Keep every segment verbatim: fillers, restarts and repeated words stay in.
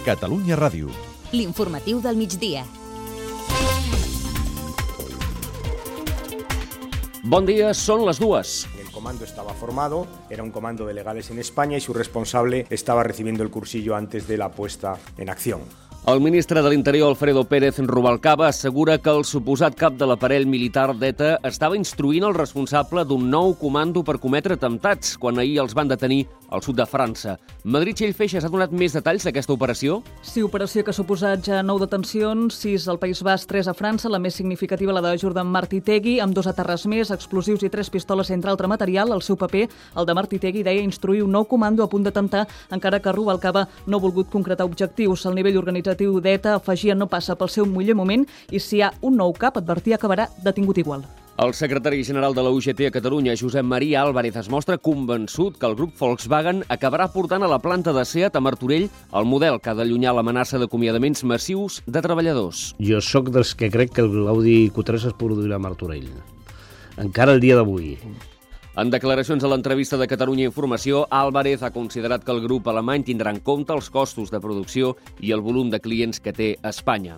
Catalunya Ràdio. L'informatiu del migdia. Bon dia, són les dues. El comando estaba formado, era un comando de legales en España y su responsable estaba recibiendo el cursillo antes de la puesta en acción. El ministre de l'Interior, Alfredo Pérez Rubalcaba, assegura que el suposat cap de l'aparell militar d'ETA estava instruint el responsable d'un nou comando per cometre atemptats, quan ahir els van detenir al sud de França. Madrid Txell Feixas ha donat més detalls d'aquesta operació? Sí, operació que ha suposat ja nou detencions, sis al País Basc, tres a França, la més significativa la de Jordan Martitegui, amb dos aterres més, explosius i tres pistoles entre altre material. El seu paper, el de Martitegui, deia instruir un nou comando a punt d'atemptar, encara que Rubalcaba no ha volgut concretar objectius. El nivell organitzatiu d'ETA, afegia, no passa pel seu millor moment i si hi ha un nou cap, advertia, acabarà detingut igual. El secretari general de la U G T a Catalunya, Josep Maria Álvarez, es mostra convençut que el grup Volkswagen acabarà portant a la planta de SEAT a Martorell el model que ha d'allunyar l'amenaça d'acomiadaments massius de treballadors. Jo sóc dels que crec que l'Audi Q tres es produirà a Martorell. Encara el dia d'avui. En declaracions a l'entrevista de Catalunya Informació, Álvarez ha considerat que el grup alemany tindrà en compte els costos de producció i el volum de clients que té a Espanya.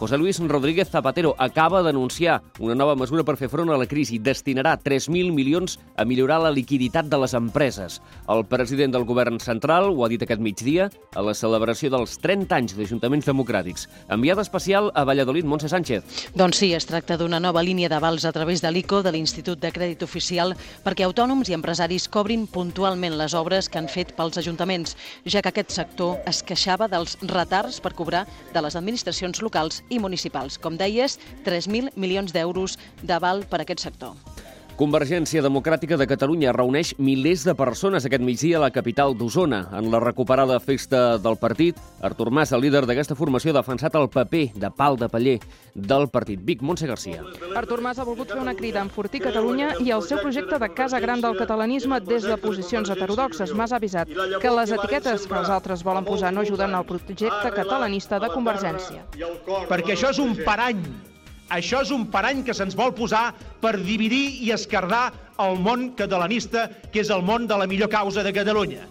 José Luis Rodríguez Zapatero acaba d'anunciar una nova mesura per fer front a la crisi. Destinarà tres mil milions a millorar la liquiditat de les empreses. El president del govern central ho ha dit aquest migdia a la celebració dels trenta anys d'Ajuntaments Democràtics. Enviada especial a Valladolid, Montse Sánchez. Doncs sí, es tracta d'una nova línia d'avals a través de l'I C O, de l'Institut de Crèdit Oficial, perquè autònoms i empresaris cobrin puntualment les obres que han fet pels ajuntaments, ja que aquest sector es queixava dels retards per cobrar de les administracions locals i municipals. Com deies, tres mil milions d'euros d'aval per a aquest sector. Convergència Democràtica de Catalunya reuneix milers de persones aquest migdia a la capital d'Osona. En la recuperada festa del partit, Artur Mas, el líder d'aquesta formació, ha defensat el paper de pal de paller del partit. Vic, Montse Garcia. Artur Mas ha volgut fer una crida a enfortir Catalunya i el seu projecte de casa gran del catalanisme des de posicions heterodoxes. Mas ha avisat que les etiquetes que els altres volen posar no ajuden al projecte catalanista de Convergència. Perquè això és un parany. Això és un parany que se'ns vol posar per dividir i esquerdar el món catalanista, que és el món de la millor causa de Catalunya.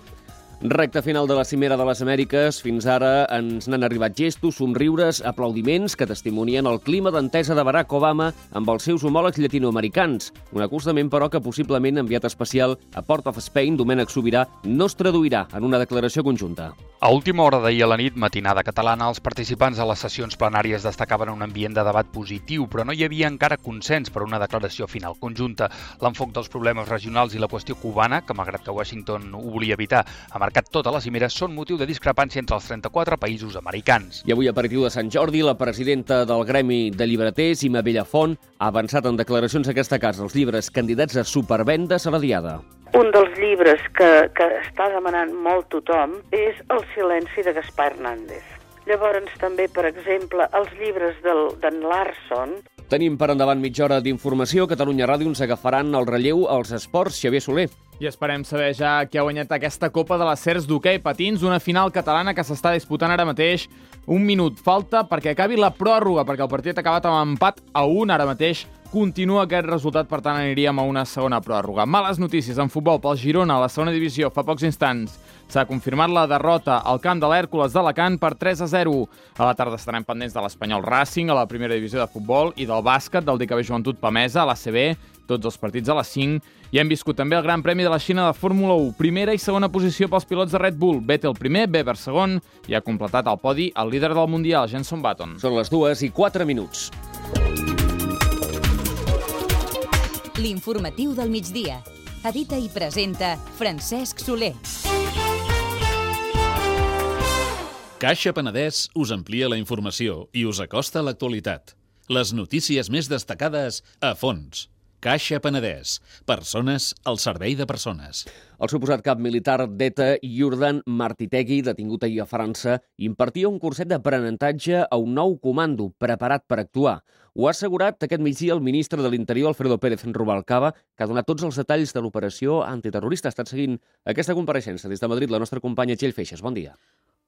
Recte final de la Cimera de les Amèriques. Fins ara ens n'han arribat gestos, somriures, aplaudiments que testimonien el clima d'entesa de Barack Obama amb els seus homòlegs llatinoamericans. Un acostament, però, que possiblement enviat especial a Port of Spain, Domènec Sobirà, no es traduirà en una declaració conjunta. A última hora d'ahir a la nit, matinada catalana, els participants a les sessions plenàries destacaven un ambient de debat positiu, però no hi havia encara consens per una declaració final conjunta. L'enfoc dels problemes regionals i la qüestió cubana, que malgrat que Washington ho volia evitar, ha marcat tota la cimera, són motiu de discrepància entre els trenta-quatre països americans. I avui, aperitiu de Sant Jordi, la presidenta del Gremi de Llibreters, Imma Bellafont, ha avançat en declaracions a aquesta casa els llibres candidats a supervendes a la Diada. Un dels llibres que, que està demanant molt tothom és El silenci de Gaspar Hernández. Llavors també, per exemple, els llibres d'en Larson. Tenim per endavant mitja hora d'informació. Catalunya Ràdio ens agafaran el relleu als esports. Xavier Soler. I esperem saber ja qui ha guanyat aquesta Copa de les Cers d'hoquei patins, una final catalana que s'està disputant ara mateix. Un minut falta perquè acabi la pròrroga, perquè el partit ha acabat amb empat a un ara mateix. Continua aquest resultat, per tant aniríem a una segona pròrroga. Males notícies en futbol pel Girona a la segona divisió fa pocs instants. S'ha confirmat la derrota al camp de l'Hèrcules d'Alacant per tres a zero. A la tarda estarem pendents de l'Espanyol Racing a la primera divisió de futbol i del bàsquet del D K B Joventut Pamesa a l'A C B, tots els partits a les cinc. I hem viscut també el Gran Premi de la Xina de Fórmula u. Primera i segona posició pels pilots de Red Bull. Vettel primer, Webber segon i ha completat el podi el líder del Mundial, Jenson Button. Són les dues i quatre minuts. L'informatiu del migdia. Edita i presenta Francesc Soler. Caixa Penedès us amplia la informació i us acosta a l'actualitat. Les notícies més destacades a fons. Caixa Penedès. Persones al servei de persones. El suposat cap militar d'ETA, Jordan Martitegui, detingut ahir a França, impartia un curset d'aprenentatge a un nou comando preparat per actuar. Ho ha assegurat aquest migdia el ministre de l'Interior, Alfredo Pérez Rubalcaba, que ha donat tots els detalls de l'operació antiterrorista. Ha estat seguint aquesta compareixença des de Madrid la nostra companya Txell Feixas. Bon dia.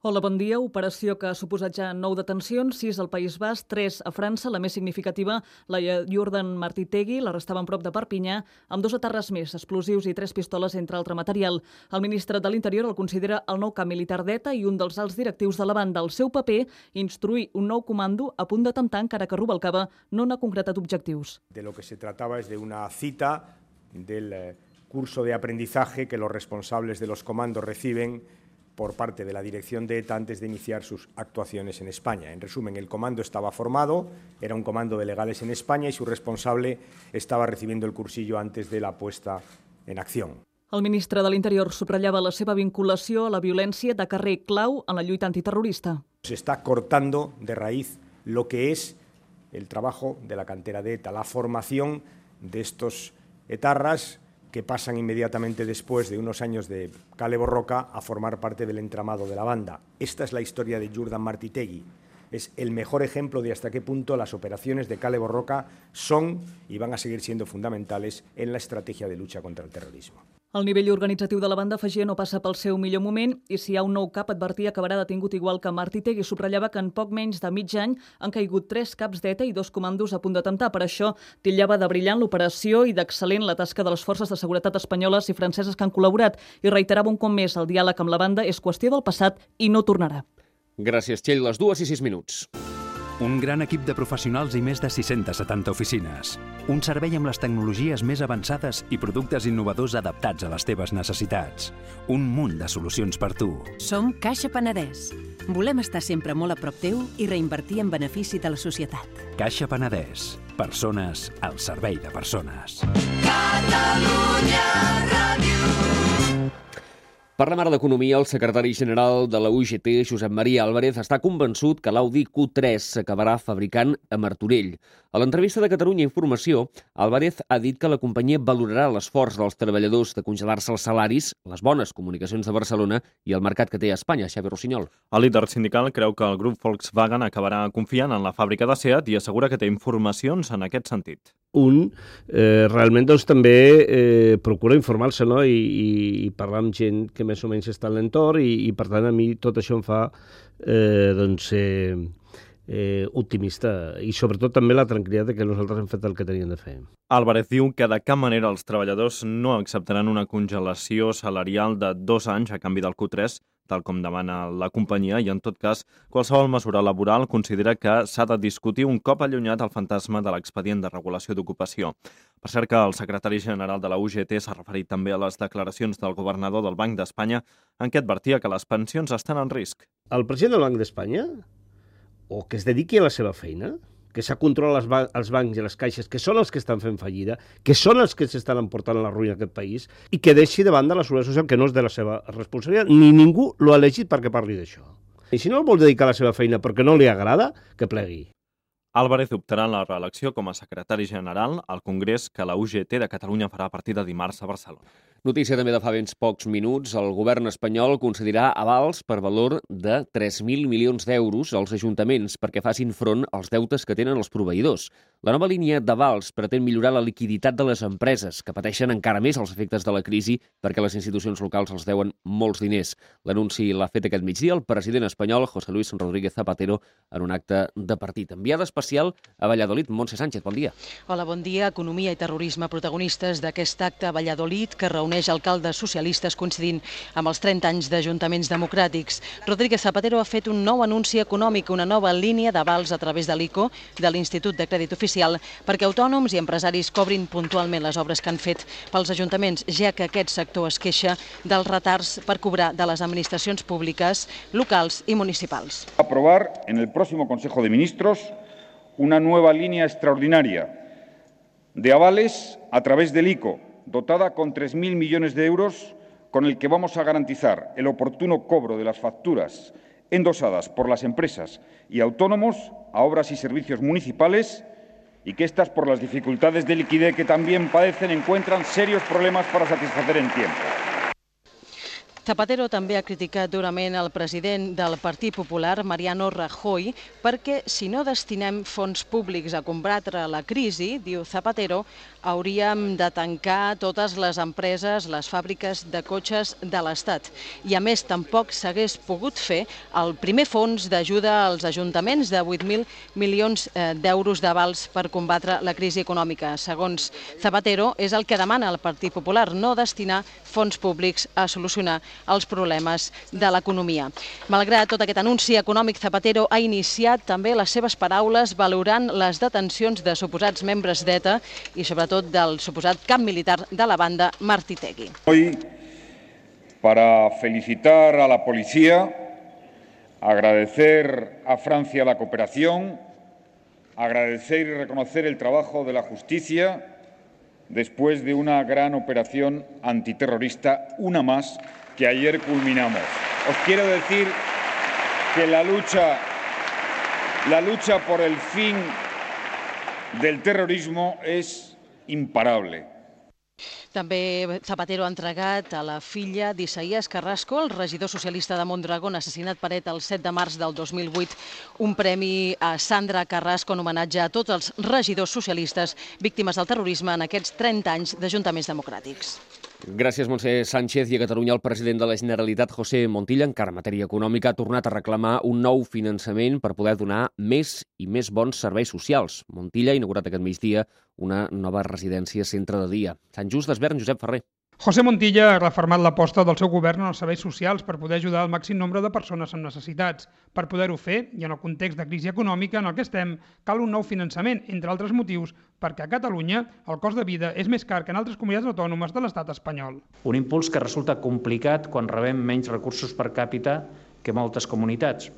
Hola, bon dia. Operació que ha suposat ja nou detencions, sis al País Basc, tres a França, la més significativa, la Jordan Martí-Tegui, l'arrestaven prop de Perpinyà, amb dos aterres més, explosius i tres pistoles, entre altre material. El ministre de l'Interior el considera el nou cap militar d'ETA i un dels alts directius de la banda. El seu paper, instruir un nou comando a punt d'atemptar, encara que Rubalcaba no n'ha concretat objectius. De lo que se trataba es de una cita del curso de aprendizaje que los responsables de los comandos reciben por parte de la dirección de ETA antes de iniciar sus actuaciones en España. En resumen, el comando estaba formado, era un comando de legales en España y su responsable estava recibiendo el cursillo antes de la puesta en acción. El ministre de l'Interior subratllava la seva vinculació a la violència de carrer clau en la lluita antiterrorista. Se está cortando de raíz lo que es el trabajo de la cantera de ETA, la formación de estos etarras que pasan inmediatamente después de unos años de Kale Borroka a formar parte del entramado de la banda. Esta es la historia de Jordan Martí-Tegui. Es el mejor ejemplo de hasta qué punto las operaciones de Kale Borroka son y van a seguir siendo fundamentales en la estrategia de lucha contra el terrorismo. El nivell organitzatiu de la banda afegia no passa pel seu millor moment i si hi ha un nou cap advertia que acabarà detingut igual que Martí-Tegui. Subratllava que en poc menys de mig any han caigut tres caps d'ETA i dos comandos a punt d'atemptar. Per això titllava de brillant l'operació i d'excel·lent la tasca de les forces de seguretat espanyoles i franceses que han col·laborat i reiterava un cop més el diàleg amb la banda és qüestió del passat i no tornarà. Gràcies, Txell. Les dues i sis minuts. Un gran equip de professionals i més de sis-centes setanta oficines. Un servei amb les tecnologies més avançades i productes innovadors adaptats a les teves necessitats. Un munt de solucions per tu. Som Caixa Penedès. Volem estar sempre molt a prop teu i reinvertir en benefici de la societat. Caixa Penedès. Persones al servei de persones. Catalunya Ràdio. Parlem ara d'economia. El secretari general de la U G T, Josep Maria Álvarez, està convençut que l'Audi Q tres s'acabarà fabricant a Martorell. A l'entrevista de Catalunya Informació, Álvarez ha dit que la companyia valorarà l'esforç dels treballadors de congelar-se els salaris, les bones comunicacions de Barcelona i el mercat que té a Espanya. Xavi Rossinyol. El líder sindical creu que el grup Volkswagen acabarà confiant en la fàbrica de SEAT i assegura que té informacions en aquest sentit. Un eh, realment doncs, també eh, procura informar-se, no? I, i, i parlar amb gent que més o menys està a l'entorn i, i per tant a mi tot això em fa eh, doncs, eh, eh, optimista i sobretot també la tranquil·litat que nosaltres hem fet el que teníem de fer. Álvarez diu que de cap manera els treballadors no acceptaran una congelació salarial de dos anys a canvi del Q tres, tal com demana la companyia, i en tot cas, qualsevol mesura laboral considera que s'ha de discutir un cop allunyat el fantasma de l'expedient de regulació d'ocupació. Per cert que el secretari general de la U G T s'ha referit també a les declaracions del governador del Banc d'Espanya en què advertia que les pensions estan en risc. El president del Banc d'Espanya, o que es dediqui a la seva feina, que s'ha controlat els, ban els bancs i les caixes, que són els que estan fent fallida, que són els que s'estan emportant a la ruïna d'aquest país, i que deixi de banda la seguretat social, que no és de la seva responsabilitat, ni ningú l'ha elegit perquè parli d'això. I si no el vol dedicar a la seva feina perquè no li agrada, que plegui. Álvarez optarà en la reelecció com a secretari general al Congrés que la U G T de Catalunya farà a partir de dimarts a Barcelona. Notícia també de fa ben pocs minuts. El govern espanyol concedirà avals per valor de tres mil milions d'euros als ajuntaments perquè facin front als deutes que tenen els proveïdors. La nova línia d'avals pretén millorar la liquiditat de les empreses, que pateixen encara més els efectes de la crisi perquè les institucions locals els deuen molts diners. L'anunci l'ha fet aquest migdia el president espanyol, José Luis Rodríguez Zapatero, en un acte de partit. Enviada especial a Valladolid, Montse Sánchez, bon dia. Hola, bon dia. Economia i terrorisme, protagonistes d'aquest acte a Valladolid que reuneix alcaldes socialistes coincidint amb els trenta anys d'ajuntaments democràtics. Rodríguez Zapatero ha fet un nou anunci econòmic, una nova línia d'avals a través de l'I C O, de l'Institut de Crèdit Oficial, perquè autònoms i empresaris cobrin puntualment les obres que han fet pels ajuntaments, ja que aquest sector es queixa dels retards per cobrar de les administracions públiques, locals i municipals. Aprovar en el próximo Consejo de Ministros una nueva línea extraordinaria de avales a través del I C O, dotada con tres mil millones de euros, con el que vamos a garantizar el oportuno cobro de las facturas endosadas por las empresas y autónomos a obras y servicios municipales y que estas, por las dificultades de liquidez que también padecen, encuentran serios problemas para satisfacer en tiempo. Zapatero també ha criticat durament el president del Partit Popular, Mariano Rajoy, perquè si no destinem fons públics a combatre la crisi, diu Zapatero, hauríem de tancar totes les empreses, les fàbriques de cotxes de l'Estat. I a més, tampoc s'hagués pogut fer el primer fons d'ajuda als ajuntaments de vuit mil milions d'euros d'avals per combatre la crisi econòmica. Segons Zapatero, és el que demana el Partit Popular, no destinar fons públics a solucionar els problemes de l'economia. Malgrat tot aquest anunci econòmic, Zapatero ha iniciat també les seves paraules valorant les detencions de suposats membres d'ETA i sobretot del suposat cap militar de la banda Martí Tegui. Hoy, para felicitar a la policía, agradecer a Francia la cooperación, agradecer y reconocer el trabajo de la justicia después de una gran operación antiterrorista, una más, que ayer culminamos. Os quiero decir que la lucha, la lucha por el fin del terrorismo es imparable. També Zapatero ha entregat a la filla d'Isaías Carrasco, el regidor socialista de Mondragón, assassinat per ETA el set de març del dos mil vuit, un premi a Sandra Carrasco en homenatge a tots els regidors socialistes víctimes del terrorisme en aquests trenta anys d'ajuntaments democràtics. Gràcies, Montse Sánchez. I a Catalunya el president de la Generalitat, José Montilla, encara en matèria econòmica, ha tornat a reclamar un nou finançament per poder donar més i més bons serveis socials. Montilla ha inaugurat aquest migdia una nova residència centre de dia. Sant Just d'Esvern, Josep Ferrer. José Montilla ha refermat l'aposta del seu govern en els serveis socials per poder ajudar al màxim nombre de persones amb necessitats. Per poder-ho fer, i en el context de crisi econòmica en el que estem, cal un nou finançament, entre altres motius, perquè a Catalunya el cost de vida és més car que en altres comunitats autònomes de l'estat espanyol. Un impuls que resulta complicat quan rebem menys recursos per càpita que moltes comunitats.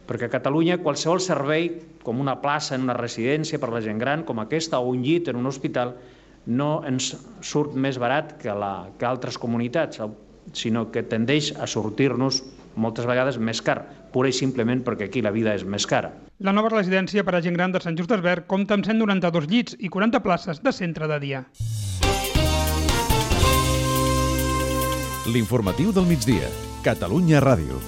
Perquè a Catalunya qualsevol servei, com una plaça en una residència per la gent gran, com aquesta, o un llit en un hospital, no ens surt més barat que, la, que altres comunitats, sinó que tendeix a sortir-nos moltes vegades més car, pura i simplement perquè aquí la vida és més cara. La nova residència per a gent gran de Sant Just d'Esvern compta amb cent noranta-dos llits i quaranta places de centre de dia. L'informatiu del migdia. Catalunya Ràdio.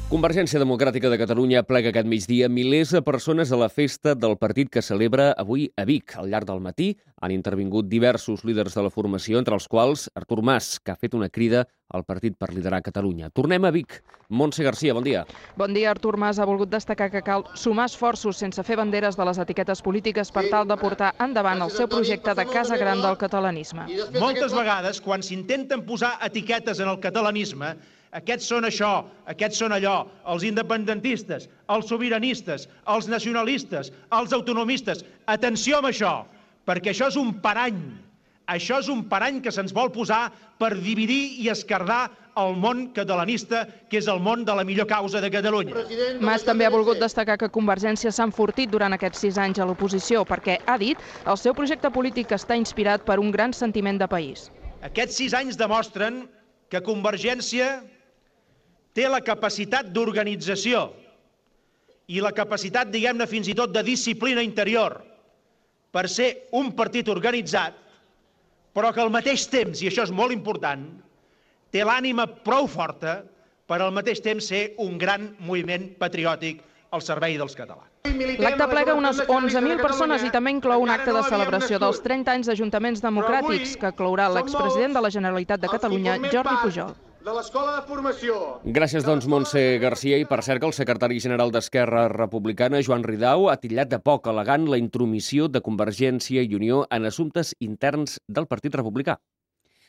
Convergència Democràtica de Catalunya plega aquest migdia milers de persones a la festa del partit que celebra avui a Vic. Al llarg del matí han intervingut diversos líders de la formació, entre els quals Artur Mas, que ha fet una crida al partit per liderar Catalunya. Tornem a Vic. Montse Garcia, bon dia. Bon dia. Artur Mas ha volgut destacar que cal sumar esforços sense fer banderes de les etiquetes polítiques per tal de portar endavant el seu projecte de Casa Gran del catalanisme. Moltes vegades, quan s'intenten posar etiquetes en el catalanisme, aquests són això, aquests són allò, els independentistes, els sobiranistes, els nacionalistes, els autonomistes. Atenció amb això, perquè això és un parany. Això és un parany que se'ns vol posar per dividir i esquerdar el món catalanista, que és el món de la millor causa de Catalunya. Mas també ha volgut destacar que Convergència s'ha enfortit durant aquests sis anys a l'oposició, perquè, ha dit, el seu projecte polític està inspirat per un gran sentiment de país. Aquests sis anys demostren que Convergència té la capacitat d'organització i la capacitat, diguem-ne, fins i tot de disciplina interior per ser un partit organitzat, però que al mateix temps, i això és molt important, té l'ànima prou forta per al mateix temps ser un gran moviment patriòtic al servei dels catalans. L'acte plega unes onze mil persones i també inclou un acte de celebració dels trenta anys d'ajuntaments democràtics que clourà l'expresident de la Generalitat de Catalunya, Jordi Pujol. De l'Escola de Formació. Gràcies, doncs, Montse Garcia. I per cert que el secretari general d'Esquerra Republicana, Joan Ridao, ha titllat de poc elegant la intromissió de Convergència i Unió en assumptes interns del Partit Republicà.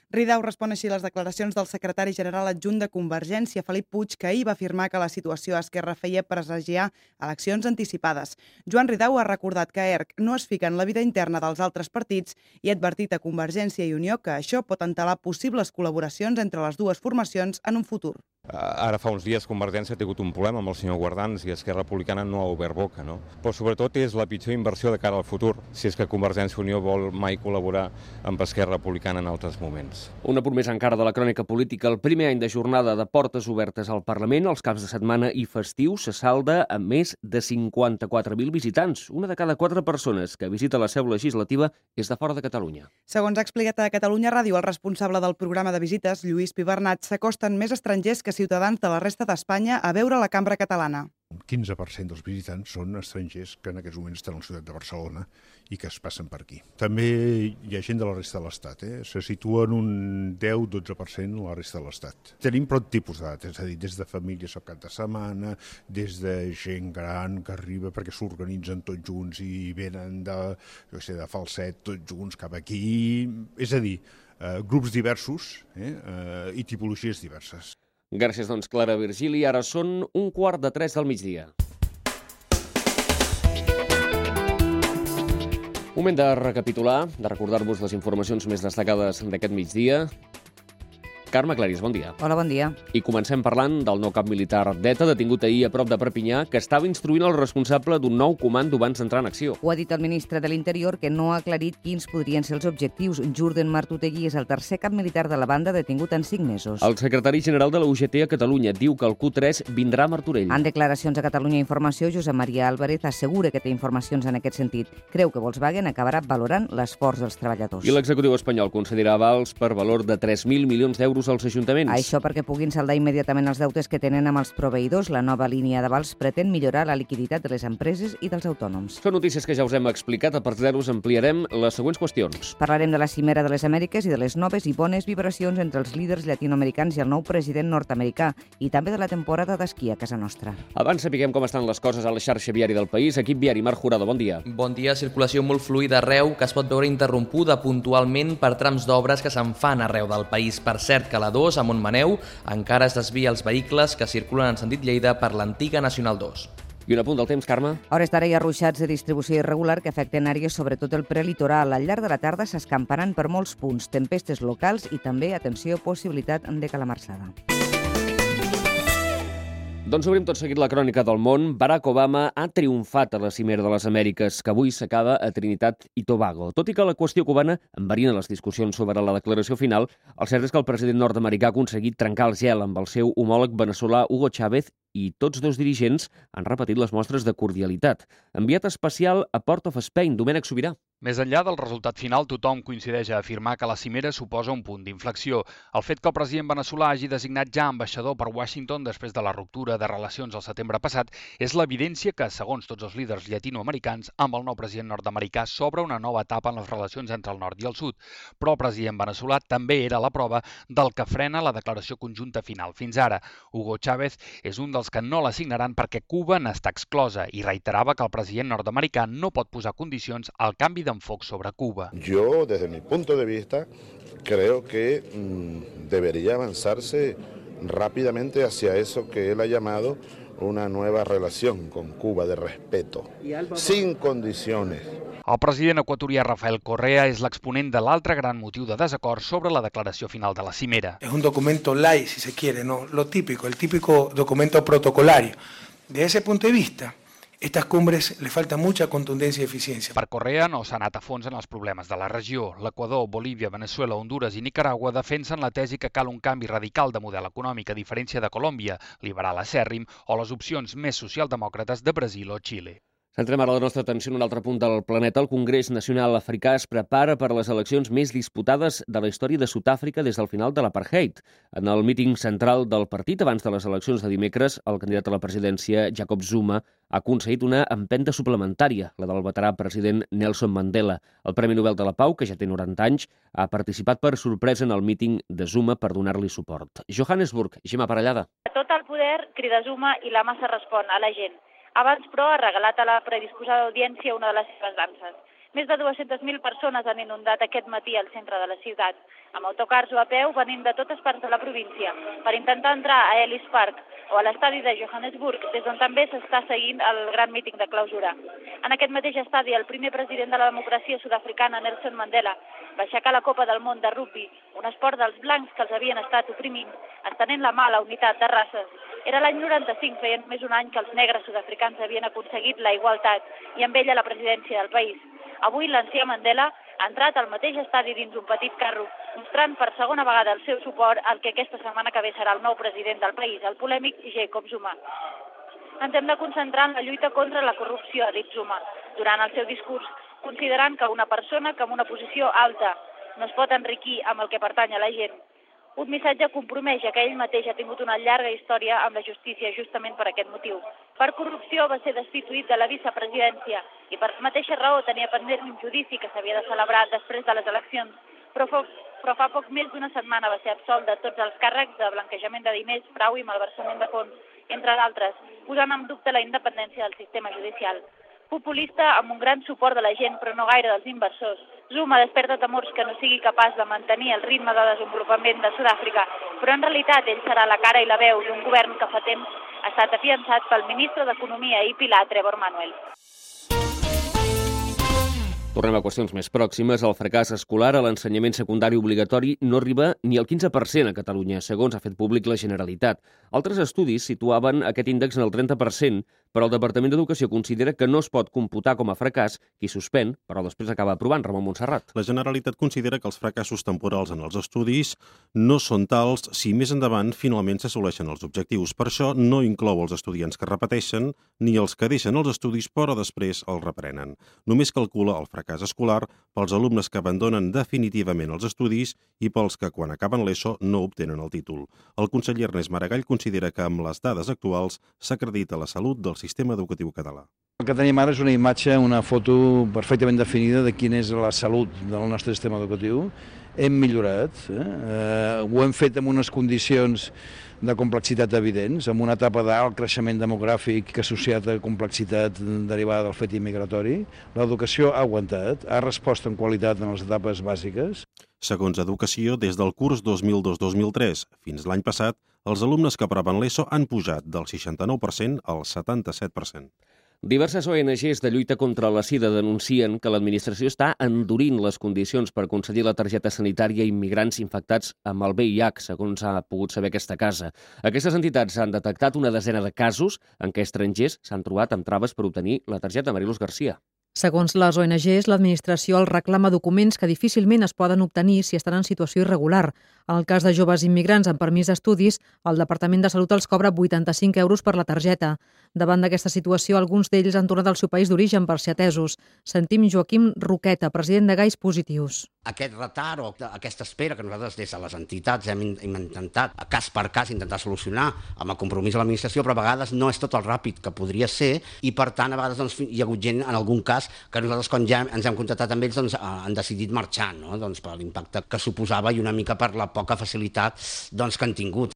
Ridao respon així a les declaracions del secretari general adjunt de Convergència, Felip Puig, que ahir va afirmar que la situació a Esquerra feia presagiar eleccions anticipades. Joan Ridao ha recordat que ERC no es fica en la vida interna dels altres partits i ha advertit a Convergència i Unió que això pot entelar possibles col·laboracions entre les dues formacions en un futur. Ara fa uns dies Convergència ha tingut un problema amb el senyor Guardans i Esquerra Republicana no ha obert boca, no? Però sobretot és la pitjor inversió de cara al futur, si és que Convergència i Unió vol mai col·laborar amb Esquerra Republicana en altres moments. Un apunt més encara de la crònica política. El primer any de jornada de portes obertes al Parlament, els caps de setmana i festius, se salda amb més de cinquanta-quatre mil visitants. Una de cada quatre persones que visita la seu legislativa és de fora de Catalunya. Segons ha explicat a Catalunya Ràdio el responsable del programa de visites, Lluís Pibernat, s'acosten més estrangers que ciutadans de la resta d'Espanya a veure la cambra catalana. Un quinze per cent dels visitants són estrangers que en aquests moments estan a la ciutat de Barcelona i que es passen per aquí. També hi ha gent de la resta de l'Estat, eh? Se situa en un deu a dotze per cent la resta de l'Estat. Tenim prou tipus d'edat, és a dir, des de famílies al cap de setmana, des de gent gran que arriba perquè s'organitzen tots junts i venen de, jo sé, de Falset tots junts cap aquí. És a dir, eh, grups diversos eh? Eh, i tipologies diverses. Gràcies, doncs, Clara Virgili. Ara són un quart de tres del migdia. Moment de recapitular, de recordar-vos les informacions més destacades d'aquest migdia. Carme Clarís, bon dia. Hola, bon dia. I comencem parlant del nou cap militar d'ETA, detingut ahir a prop de Perpinyà, que estava instruint el responsable d'un nou comando abans d'entrar en acció. Ho ha dit el ministre de l'Interior, que no ha aclarit quins podrien ser els objectius. Jurden Martutegui és el tercer cap militar de la banda detingut en cinc mesos. El secretari general de la U G T a Catalunya diu que el Q tres vindrà a Martorell. En declaracions a Catalunya Informació, Josep Maria Álvarez assegura que té informacions en aquest sentit. Creu que Volkswagen acabarà valorant l'esforç dels treballadors. I l'executiu espanyol concedirà avals per valor de tres mil milions d'euros als ajuntaments. Això perquè puguin saldar immediatament els deutes que tenen amb els proveïdors. La nova línia d'avals pretén millorar la liquiditat de les empreses i dels autònoms. Són notícies que ja us hem explicat. A partir d'ara us ampliarem les següents qüestions. Parlarem de la cimera de les Amèriques i de les noves i bones vibracions entre els líders llatinoamericans i el nou president nord-americà, i també de la temporada d'esquí a casa nostra. Abans sapiguem com estan les coses a la xarxa viària del país. Equip viari, Marc Jurado, bon dia. Bon dia. Circulació molt fluida arreu, que es pot veure interrompuda puntualment per trams d'obres que se'n fan arreu del país. Per cert, que la dos, a Montmaneu, encara es desvia els vehicles que circulen en sentit Lleida per l'antiga Nacional dos. I un apunt del temps, Carme. A hores d'ara hi ha ruixats de distribució irregular que afecten àrees, sobretot el prelitoral. Al llarg de la tarda s'escamparan per molts punts, tempestes locals i també, atenció, possibilitat de calamarsada. Doncs obrim tot seguit la crònica del món. Barack Obama ha triomfat a la cimera de les Amèriques, que avui s'acaba a Trinitat i Tobago. Tot i que la qüestió cubana enverina les discussions sobre la declaració final, el cert és que el president nord-americà ha aconseguit trencar el gel amb el seu homòleg veneçolà Hugo Chávez i tots dos dirigents han repetit les mostres de cordialitat. Enviat especial a Port of Spain, Domènec Sobirà. Més enllà del resultat final, tothom coincideix a afirmar que la cimera suposa un punt d'inflexió. El fet que el president veneçolà hagi designat ja ambaixador per Washington després de la ruptura de relacions al setembre passat és l'evidència que, segons tots els líders llatinoamericans, amb el nou president nord-americà s'obre una nova etapa en les relacions entre el nord i el sud. Però el president veneçolà també era la prova del que frena la declaració conjunta final. Fins ara, Hugo Chávez és un dels que no la signaran perquè Cuba n'està exclosa i reiterava que el president nord-americà no pot posar condicions al canvi d'enfoc sobre Cuba. Yo, desde mi punto de vista, creo que mmm, debería avanzarse rápidamente hacia eso que él ha llamado una nueva relación con Cuba de respeto, sin condiciones. El president equatorià Rafael Correa és l'exponent de l'altre gran motiu de desacord sobre la declaració final de la cimera. Es un documento light, si se quiere, ¿no? Lo típico, el típico documento protocolario. De ese punto de vista, estas cumbres le falta mucha contundencia y eficiencia. Per Correa no s'ha anat a fons en els problemes de la regió. L'Equador, Bolívia, Venezuela, Honduras i Nicaragua defensen la tesi que cal un canvi radical de model econòmic a diferència de Colòmbia, liberal acèrrim, o les opcions més socialdemòcrates de Brasil o Xile. Centrem ara la nostra atenció en un altre punt del planeta. El Congrés Nacional Africà es prepara per a les eleccions més disputades de la història de Sud-àfrica des del final de l'apartheid. En el míting central del partit, abans de les eleccions de dimecres, el candidat a la presidència, Jacob Zuma, ha aconseguit una empenta suplementària, la del veterà president Nelson Mandela. El Premi Nobel de la Pau, que ja té noranta anys, ha participat per sorpresa en el míting de Zuma per donar-li suport. Johannesburg, Gemma Parellada. Tot el poder crida Zuma i la massa respon a la gent. Abans, però, ha regalat a la predisposada audiència una de les seves danses. Més de dues-centes mil persones han inundat aquest matí al centre de la ciutat, amb autocars o a peu venint de totes parts de la província, per intentar entrar a Ellis Park, o a l'estadi de Johannesburg, des d'on també s'està seguint el gran míting de clausura. En aquest mateix estadi, el primer president de la democràcia sud-africana, Nelson Mandela, va aixecar la Copa del Món de rugbi, un esport dels blancs que els havien estat oprimint, estenent la mà a la unitat de races. Era l'any noranta-cinc, feia més un any que els negres sud-africans havien aconseguit la igualtat i amb ella la presidència del país. Avui l'ancià Mandela ha entrat al mateix estadi dins un petit carro, mostrant per segona vegada el seu suport al que aquesta setmana que ve serà el nou president del país, el polèmic Jacob Zuma. Ens hem de concentrar en la lluita contra la corrupció, ha dit Zuma, durant el seu discurs, considerant que una persona que en una posició alta no es pot enriquir amb el que pertany a la gent. Un missatge compromès, ja que ell mateix ha tingut una llarga història amb la justícia justament per aquest motiu. Per corrupció va ser destituït de la vicepresidència i per la mateixa raó tenia pendent un judici que s'havia de celebrar després de les eleccions, però fa, però fa poc més d'una setmana va ser absolt de tots els càrrecs de blanquejament de diners, frau i malversament de fons, entre d'altres, posant en dubte la independència del sistema judicial. Populista amb un gran suport de la gent, però no gaire dels inversors, Zuma desperta temors que no sigui capaç de mantenir el ritme de desenvolupament de Sud-àfrica, però en realitat ell serà la cara i la veu d'un govern que fa temps ha estat afiançat pel ministre d'Economia i Pilar, Trevor Manuel. Tornem a qüestions més pròximes. El fracàs escolar a l'ensenyament secundari obligatori no arriba ni al quinze per cent a Catalunya, segons ha fet públic la Generalitat. Altres estudis situaven aquest índex en el trenta per cent, però el Departament d'Educació considera que no es pot computar com a fracàs qui suspèn, però després acaba aprovant. Ramon Montserrat. La Generalitat considera que els fracassos temporals en els estudis no són tals si més endavant finalment s'assoleixen els objectius. Per això no inclou els estudiants que repeteixen ni els que deixen els estudis però després els reprenen. Només calcula el fracàs escolar pels alumnes que abandonen definitivament els estudis i pels que quan acaben l'ESO no obtenen el títol. El conseller Ernest Maragall considera que amb les dades actuals s'acredita la salut del sistema educatiu català. El que tenim ara és una imatge, una foto perfectament definida de quina és la salut del nostre sistema educatiu. Hem millorat, eh? Eh, ho hem fet amb unes condicions de complexitat evidents, amb una etapa d'alt creixement demogràfic que associat a complexitat derivada del fet immigratori. L'educació ha aguantat, ha respost en qualitat en les etapes bàsiques. Segons Educació, des del curs dos mil dos dos mil tres fins l'any passat, els alumnes que aproven l'ESO han pujat del seixanta-nou per cent al setanta-set per cent. Diverses O N Ges de lluita contra la sida denuncien que l'administració està endurint les condicions per concedir la targeta sanitària a immigrants infectats amb el V I H, segons ha pogut saber aquesta casa. Aquestes entitats han detectat una desena de casos en què estrangers s'han trobat amb traves per obtenir la targeta. Mariluz Garcia. Segons les O N Ges, l'administració els reclama documents que difícilment es poden obtenir si estan en situació irregular. En el cas de joves immigrants amb permís d'estudis, el Departament de Salut els cobra vuitanta-cinc euros per la targeta. Davant d'aquesta situació, alguns d'ells han tornat al seu país d'origen per ser atesos. Sentim Joaquim Roqueta, president de Gais Positius. Aquest retard o aquesta espera que nosaltres des de les entitats hem, hem intentat, a cas per cas, intentar solucionar amb el compromís de l'administració, però a vegades no és tot el ràpid que podria ser i, per tant, a vegades doncs, hi ha hagut gent, en algun cas, que nosaltres, quan ja ens hem contactat amb ells, doncs, han decidit marxar, no? Doncs, per l'impacte que suposava i una mica per la poca facilitat doncs, que han tingut.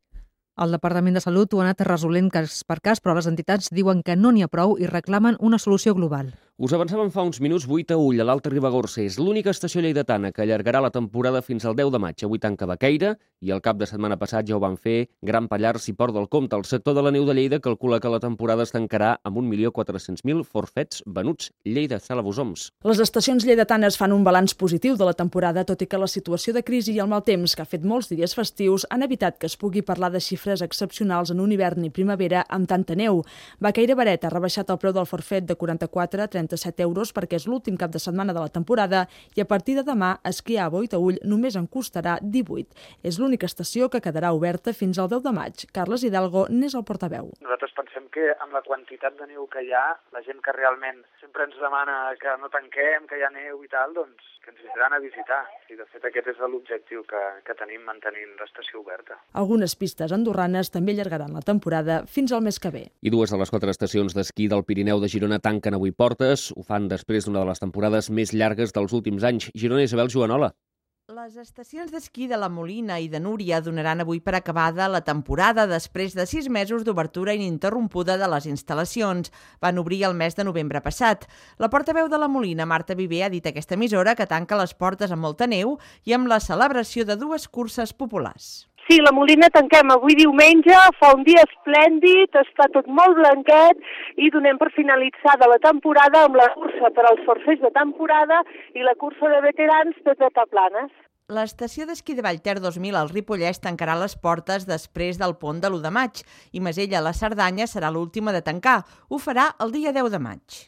El Departament de Salut ho ha anat resolent cas per cas, però les entitats diuen que no n'hi ha prou i reclamen una solució global. Us avançàvem fa uns minuts. Vuit a Ull, a l'Alta Ribagorça, és l'única estació lleidatana que allargarà la temporada fins al deu de maig. Avui tanca Baqueira i el cap de setmana passat ja ho van fer Gran Pallars i Port del Comte. El sector de la neu de Lleida calcula que la temporada es tancarà amb un milió quatre-cents mil forfets venuts. Lleida, Sala Bosoms. Les estacions lleidatanes fan un balanç positiu de la temporada, tot i que la situació de crisi i el mal temps que ha fet molts dies festius han evitat que es pugui parlar de xifres excepcionals en un hivern i primavera amb tanta neu. Baqueira Baret ha rebaixat el preu del forfet de quaranta-quatre a trenta-set euros perquè és l'últim cap de setmana de la temporada i a partir de demà esquiar a Boitaüll només en costarà divuit. És l'única estació que quedarà oberta fins al deu de maig. Carles Hidalgo n'és el portaveu. Nosaltres pensem que amb la quantitat de neu que hi ha, la gent que realment sempre ens demana que no tanquem, que hi ha neu i tal, doncs que ens vindran a visitar. I de fet aquest és l'objectiu que, que tenim mantenint l'estació oberta. Algunes pistes andorranes també allargaran la temporada fins al mes que ve. I dues de les quatre estacions d'esquí del Pirineu de Girona tanquen avui portes. Ho fan després d'una de les temporades més llargues dels últims anys. Girona, Isabel Joanola. Les estacions d'esquí de la Molina i de Núria donaran avui per acabada la temporada després de sis mesos d'obertura ininterrompuda de les instal·lacions. Van obrir el mes de novembre passat. La portaveu de la Molina, Marta Viver, ha dit a aquesta emissora que tanca les portes amb molta neu i amb la celebració de dues curses populars. Sí, la Molina tanquem avui diumenge, fa un dia esplèndid, està tot molt blanquet i donem per finalitzada la temporada amb la cursa per als forfers de temporada i la cursa de veterans de Tataplanes. L'estació d'esquí de Vallter dos mil al Ripollès tancarà les portes després del pont de l'u de maig i Masella a la Cerdanya serà l'última de tancar. Ho farà el dia deu de maig.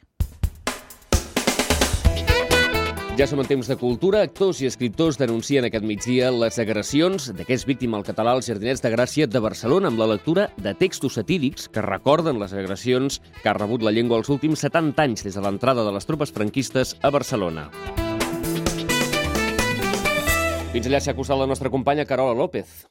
Ja som en temps de cultura. Actors i escriptors denuncien aquest migdia les agressions de què és víctima el català als Jardinets de Gràcia de Barcelona amb la lectura de textos satírics que recorden les agressions que ha rebut la llengua els últims setanta anys des de l'entrada de les tropes franquistes a Barcelona. Fins allà s'ha acostat la nostra companya Carola López.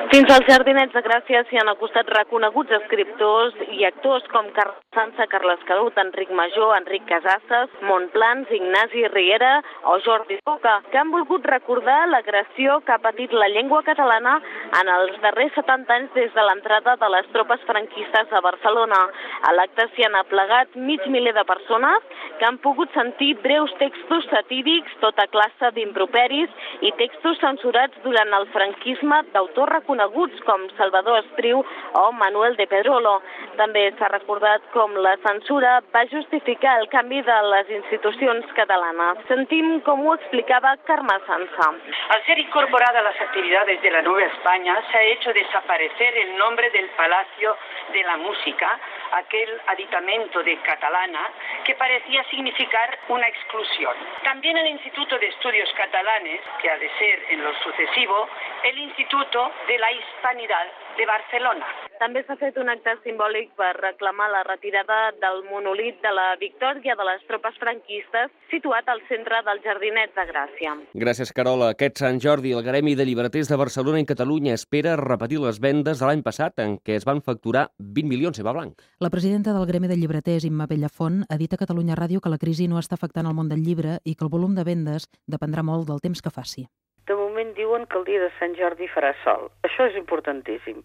Fins als Jardinets de Gràcia s'hi han acostat reconeguts escriptors i actors com Carles Sansa, Carles Canut, Enric Major, Enric Casasses, Montplans, Ignasi Riera o Jordi Boca, que han volgut recordar l'agressió que ha patit la llengua catalana en els darrers setanta anys des de l'entrada de les tropes franquistes a Barcelona. A l'acte s'hi han aplegat mig miler de persones que han pogut sentir breus textos satírics, tota classe d'improperis i textos censurats durant el franquisme d'autors reconeguts com Salvador Espriu o Manuel de Pedrolo. També s'ha recordat com la censura va justificar el canvi de les institucions catalanes. Sentim com ho explicava Carme Sansa. Al ser incorporada a las actividades de la Nueva España, se ha hecho desaparecer el nombre del Palacio de la Música, aquel aditamento de catalana que parecía significar una exclusión. También el Instituto de Estudios Catalanes, que ha de ser en lo sucesivo el Instituto de la Hispanidad de Barcelona. També s'ha fet un acte simbòlic per reclamar la retirada del monolit de la victòria de les tropes franquistes situat al centre dels Jardinets de Gràcia. Gràcies, Carola. Aquest Sant Jordi, el Gremi de Llibreters de Barcelona i Catalunya espera repetir les vendes de l'any passat en què es van facturar vint milions, Eva Blanc. La presidenta del Gremi de Llibreters, Imma Bellafont, ha dit a Catalunya Ràdio que la crisi no està afectant el món del llibre i que el volum de vendes dependrà molt del temps que faci. De moment diuen que el dia de Sant Jordi farà sol. Això és importantíssim.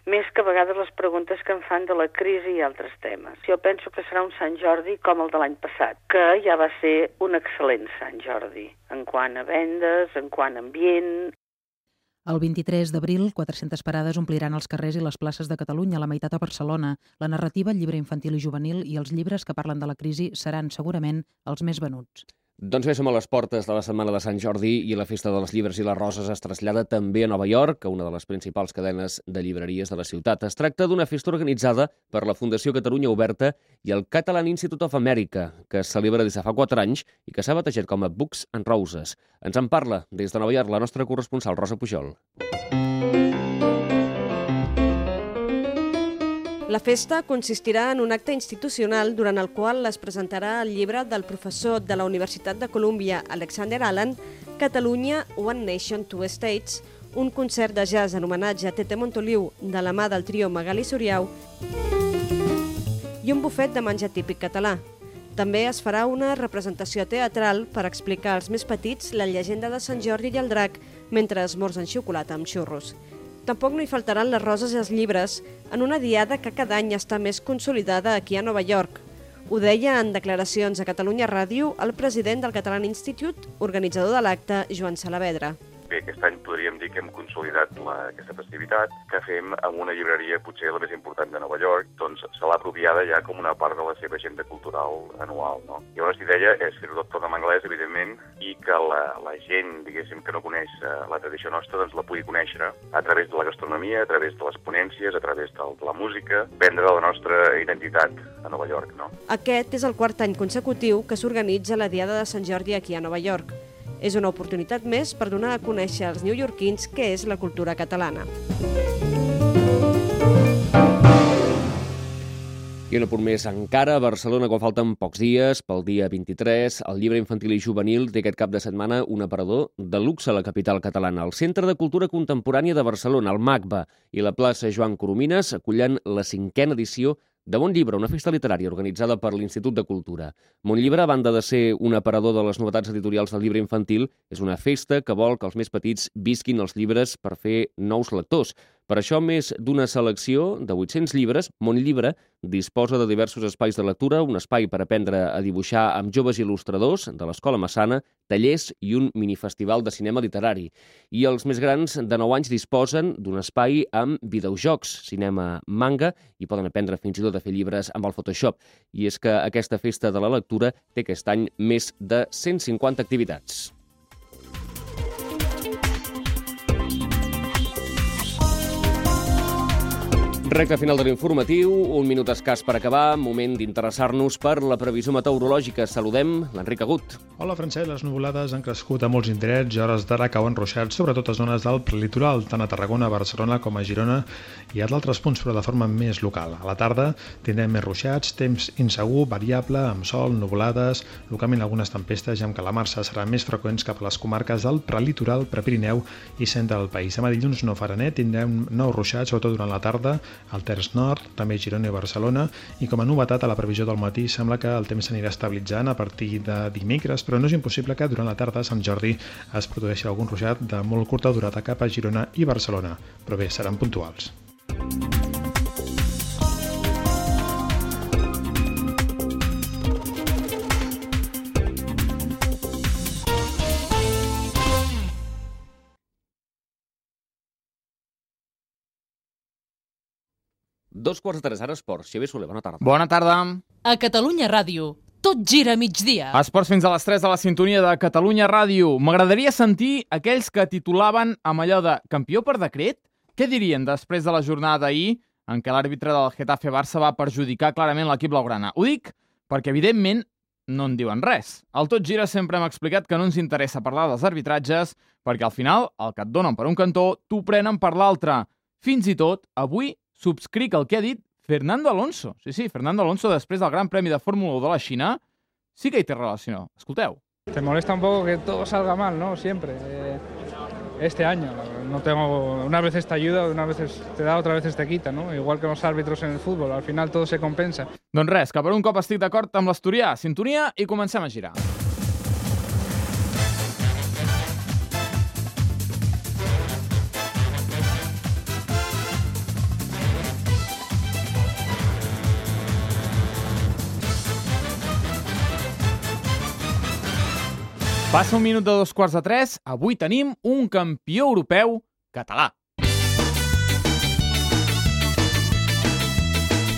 Més que a vegades les preguntes que em fan de la crisi i altres temes. Jo penso que serà un Sant Jordi com el de l'any passat, que ja va ser un excel·lent Sant Jordi, en quant a vendes, en quant a ambient. El vint-i-tres d'abril, quatre-centes parades ompliran els carrers i les places de Catalunya, la meitat a Barcelona. La narrativa, el llibre infantil i juvenil i els llibres que parlen de la crisi seran segurament els més venuts. Doncs bé, som a les portes de la Setmana de Sant Jordi i la Festa dels Llibres i les Roses es trasllada també a Nova York, a una de les principals cadenes de llibreries de la ciutat. Es tracta d'una festa organitzada per la Fundació Catalunya Oberta i el Catalan Institute of America, que es celebra des de fa quatre anys i que s'ha batejat com a Books and Roses. Ens en parla des de Nova York la nostra corresponsal, Rosa Pujol. La festa consistirà en un acte institucional durant el qual es presentarà el llibre del professor de la Universitat de Colúmbia, Alexander Allen, Catalunya, One Nation, Two States, un concert de jazz en homenatge a Tete Montoliu de la mà del trio Magali Suriau i un bufet de menjar típic català. També es farà una representació teatral per explicar als més petits la llegenda de Sant Jordi i el drac mentre esmorzen xocolata amb xurros. Tampoc no hi faltaran les roses i els llibres en una diada que cada any està més consolidada aquí a Nova York. Ho deia en declaracions a Catalunya Ràdio el president del Catalan Institute, organitzador de l'acte, Joan Salavedra. Bé, aquest any podríem dir que hem consolidat la, aquesta festivitat, que fem amb una llibreria potser la més important de Nova York, doncs se l'ha apropiada ja com una part de la seva agenda cultural anual, no? Llavors l'idea és fer-ho tot en anglès, evidentment, i que la, la gent, diguéssim, que no coneix la tradició nostra, doncs la pugui conèixer a través de la gastronomia, a través de les ponències, a través de la música, vendre la nostra identitat a Nova York, no? Aquest és el quart any consecutiu que s'organitza la Diada de Sant Jordi aquí a Nova York. És una oportunitat més per donar a conèixer als newyorkins què és la cultura catalana. I un apunt més encara, a Barcelona, quan falten pocs dies, pel dia vint-i-tres, el llibre infantil i juvenil té aquest cap de setmana un aparador de luxe a la capital catalana. El Centre de Cultura Contemporània de Barcelona, el MACBA, i la plaça Joan Coromines acullen la cinquena edició de Bon Llibre, una festa literària organitzada per l'Institut de Cultura. Bon Llibre, a banda de ser un aparador de les novetats editorials del llibre infantil, és una festa que vol que els més petits visquin els llibres per fer nous lectors. Per això, més d'una selecció de vuit-cents llibres, Montllibre disposa de diversos espais de lectura, un espai per aprendre a dibuixar amb joves il·lustradors de l'Escola Massana, tallers i un minifestival de cinema literari. I els més grans de nou anys disposen d'un espai amb videojocs, cinema manga, i poden aprendre fins i tot a fer llibres amb el Photoshop. I és que aquesta festa de la lectura té aquest any més de cent cinquanta activitats. Recte final de l'informatiu, un minut escàs per acabar, moment d'interessar-nos per la previsió meteorològica. Saludem l'Enric Agut. Hola, Francesc. Les nuvolades han crescut a molts indrets i a hores d'ara cauen ruixats, sobretot a zones del prelitoral, tant a Tarragona, Barcelona com a Girona i a d'altres punts, però de forma més local. A la tarda tindrem més ruixats, temps insegur, variable, amb sol, nuvolades, localment algunes tempestes i amb calamarsa seran més freqüents cap a les comarques del prelitoral, Prepirineu i centre del país. Demà dilluns no farà net, tindrem nous ruixats, sobretot durant la tarda, al terç nord, també Girona i Barcelona, i com a novetat a la previsió del matí sembla que el temps s'anirà estabilitzant a partir de dimecres, però no és impossible que durant la tarda a Sant Jordi es produeixi algun ruixat de molt curta durada cap a Girona i Barcelona, però bé, seran puntuals. Dos quarts de tres, ara esports. Xavier Soler, bona tarda. Bona tarda. A Catalunya Ràdio, tot gira a migdia. Esports fins a les tres de la sintonia de Catalunya Ràdio. M'agradaria sentir aquells que titulaven amb allò de campió per decret? Què dirien després de la jornada d'ahir en què l'àrbitre del Getafe Barça va perjudicar clarament l'equip blaugrana? Ho dic perquè, evidentment, no en diuen res. Al Tot Gira sempre hem explicat que no ens interessa parlar dels arbitratges perquè, al final, el que et donen per un cantó, t'ho prenen per l'altre. Fins i tot, avui, subscric el que ha dit Fernando Alonso. Sí, sí, Fernando Alonso, després del Gran Premi de Fórmula u de la Xina, sí que hi té relació. Escolteu. Te molesta un poco que todo salga mal, ¿no? Siempre. Eh, este año no tengo, unas veces te ayuda, unas veces te da, otras veces te quita, ¿no? Igual que los árbitros en el fútbol, al final todo se compensa. Doncs res, que per un cop estic d'acord amb l'asturià. Sintonia i comencem a girar. Passa un minut de dos quarts de tres, avui tenim un campió europeu català.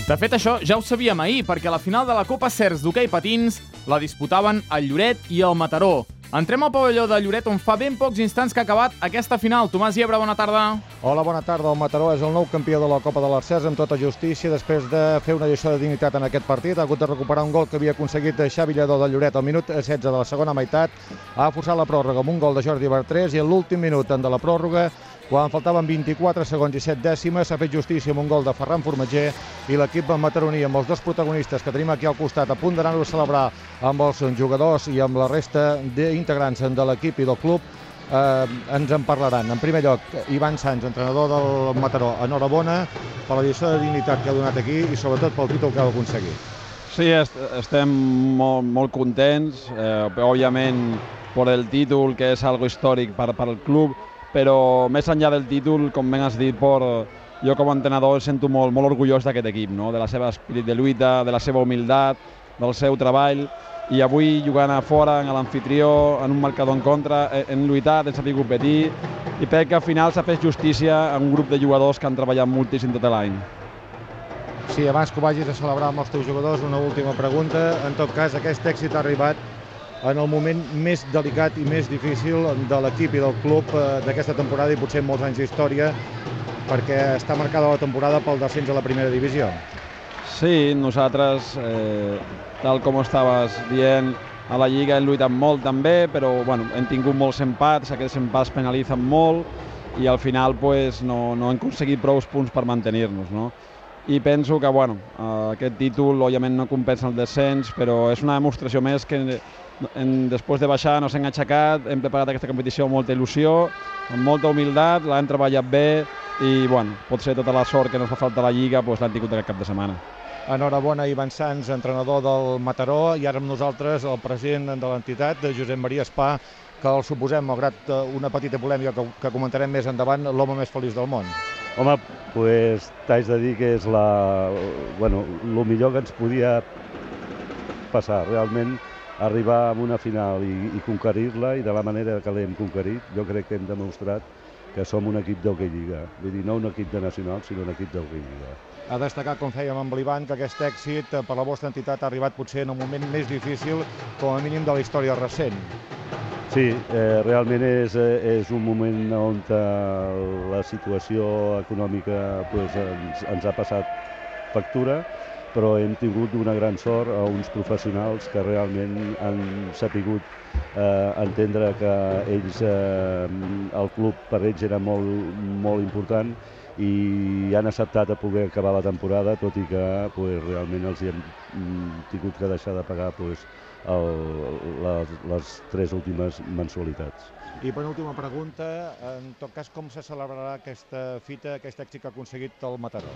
De fet, això ja ho sabíem ahir, perquè la final de la Copa Cers d'hoquei patins la disputaven el Lloret i el Mataró. Entrem al pavelló de Lloret, on fa ben pocs instants que ha acabat aquesta final. Tomàs Llebre, bona tarda. Hola, bona tarda. El Mataró és el nou campió de la Copa de l'Arcès amb tota justícia. Després de fer una lliçó de dignitat en aquest partit, ha hagut de recuperar un gol que havia aconseguit Xavi Lledó de Lloret al minut setze de la segona meitat. Ha forçat la pròrroga amb un gol de Jordi Bertrés i en l'últim minut de la pròrroga, quan faltaven vint-i-quatre segons i set dècimes, s'ha fet justícia amb un gol de Ferran Formatger i l'equip mataroní, amb els dos protagonistes que tenim aquí al costat, a punt d'anar-ho a celebrar amb els jugadors i amb la resta d'integrants de l'equip i del club, eh, ens en parlaran. En primer lloc, Ivan Sanz, entrenador del Mataró, enhorabona per la lliçó de dignitat que ha donat aquí i sobretot pel títol que ha aconseguit. Sí, est estem molt, molt contents, eh, òbviament per el títol, que és algo històric per, per al club, però més enllà del títol, com ben has dit, por, jo com a entrenador sento molt, molt orgullós d'aquest equip, no? De la seva espírit de lluita, de la seva humilitat, del seu treball, i avui jugant a fora, en l'anfitrió, en un marcador en contra, hem lluitat, hem sabut competir, i crec que al final s'ha fet justícia a un grup de jugadors que han treballat moltíssim tot l'any. Sí, abans que ho vagis a celebrar amb els teus jugadors, una última pregunta. En tot cas, aquest èxit ha arribat en el moment més delicat i més difícil de l'equip i del club d'aquesta temporada i potser en molts anys d'història, perquè està marcada la temporada pel descens a la primera divisió. Sí, nosaltres, eh, tal com estaves dient, a la Lliga hem lluitat molt també, però bueno, hem tingut molts empats, aquests empats penalitzen molt i al final pues, no, no hem aconseguit prou punts per mantenir-nos, no? I penso que bueno, aquest títol òbviament no compensa el descens, però és una demostració més que en, després de baixar no s'hem aixecat, hem preparat aquesta competició amb molta il·lusió, amb molta humilitat, l'hem treballat bé i bueno, potser tota la sort que ens fa falta a la Lliga pues, l'hem tingut aquest cap de setmana. Enhorabona, Ivan Sanz, entrenador del Mataró, i ara amb nosaltres el president de l'entitat, Josep Maria Espà, que el suposem, malgrat una petita polèmica que, que comentarem més endavant, l'home més feliç del món. Home, pues, t'haig de dir que és la, bueno, el millor que ens podia passar. Realment, arribar a una final i, i conquerir-la, i de la manera que l'hem conquerit, jo crec que hem demostrat que som un equip d'Hockey Lliga. Vull dir, no un equip de nacional, sinó un equip d'Hockey Lliga. A destacar, com fèiem amb l'Ivan, que aquest èxit per la vostra entitat ha arribat potser en un moment més difícil, com a mínim de la història recent. Sí, eh, realment és, és un moment on la situació econòmica pues, ens, ens ha passat factura, però hem tingut una gran sort a uns professionals que realment han sapigut eh, entendre que ells, eh, el club per ells era molt, molt important, i han acceptat a poder acabar la temporada, tot i que pues, realment els hi hem tingut que deixar de pagar pues, el, les, les tres últimes mensualitats. I per última pregunta, en tot cas, com se celebrarà aquesta fita, aquest èxit que ha aconseguit el Mataró?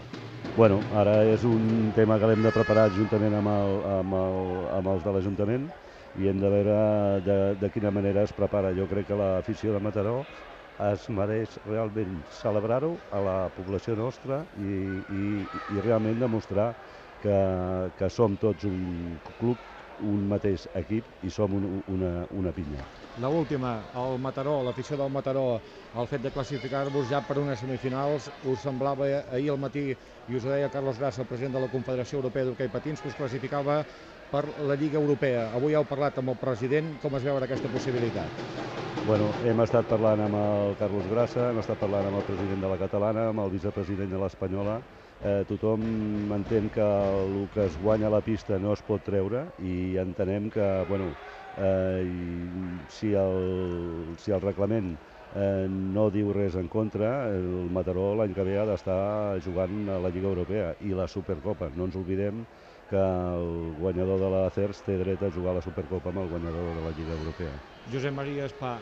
Bueno, ara és un tema que l'hem de preparar juntament amb, el, amb, el, amb els de l'Ajuntament, i hem de veure de, de quina manera es prepara. Jo crec que l'afició de Mataró es mereix realment celebrar-ho a la població nostra i, i, i realment demostrar que, que som tots un club, un mateix equip, i som un, una, una pinya. L'última, el Mataró, l'afició del Mataró, el fet de classificar-vos ja per unes semifinals, us semblava ahir al matí, i us ho deia Carlos Grassa, el president de la Confederació Europea d'Hoquei Patins, que us classificava per la Lliga Europea. Avui heu parlat amb el president, com es veu aquesta possibilitat? Bueno, hem estat parlant amb el Carlos Grassa, hem estat parlant amb el president de la Catalana, amb el vicepresident de l'Espanyola. Eh, tothom entén que el que es guanya a la pista no es pot treure, i entenem que, bueno, eh, si, el, si el reglament eh, no diu res en contra, el Mataró l'any que ve ha d'estar jugant a la Lliga Europea i la Supercopa. No ens oblidem que el guanyador de la C E R S té dret a jugar a la Supercopa amb el guanyador de la Lliga Europea. Josep Maria Espà,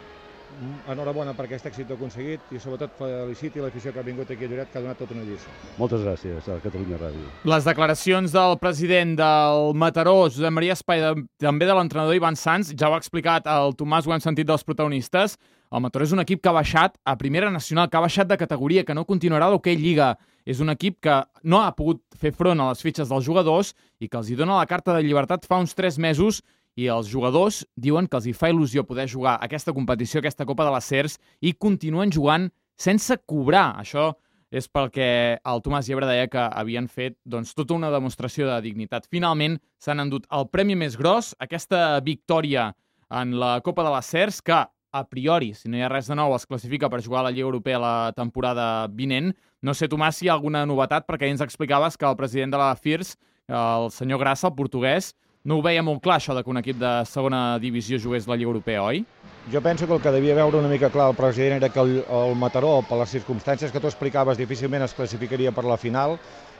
enhorabona per aquest èxit aconseguit, i sobretot feliciti l'afició que ha vingut aquí a Lloret, que ha donat tota una lliçó. Moltes gràcies a Catalunya Ràdio. Les declaracions del president del Mataró, Josep Maria Espà, i també de l'entrenador Ivan Sanz, ja ho ha explicat el Tomàs, ho hem sentit dels protagonistes. El Mataró és un equip que ha baixat a Primera Nacional, que ha baixat de categoria, que no continuarà l'Hoquei Lliga. És un equip que no ha pogut fer front a les fitxes dels jugadors i que els hi dona la carta de llibertat fa uns tres mesos, i els jugadors diuen que els hi fa il·lusió poder jugar aquesta competició, aquesta Copa de les C E R S, i continuen jugant sense cobrar. Això és perquè el Tomàs Llebre deia que havien fet doncs, tota una demostració de dignitat. Finalment s'han endut el premi més gros, aquesta victòria en la Copa de les C E R S, que a priori, si no hi ha res de nou, es classifica per jugar a la Lliga Europea la temporada vinent. No sé, Tomàs, si hi ha alguna novetat, perquè ahir ens explicaves que el president de la F I R S, el senyor Grassa, el portuguès, no ho veia molt clar, això de que un equip de segona divisió jugués la Lliga Europea, oi? Jo penso que el que devia veure una mica clar el president era que el, el Mataró, per les circumstàncies que tu explicaves, difícilment es classificaria per la final.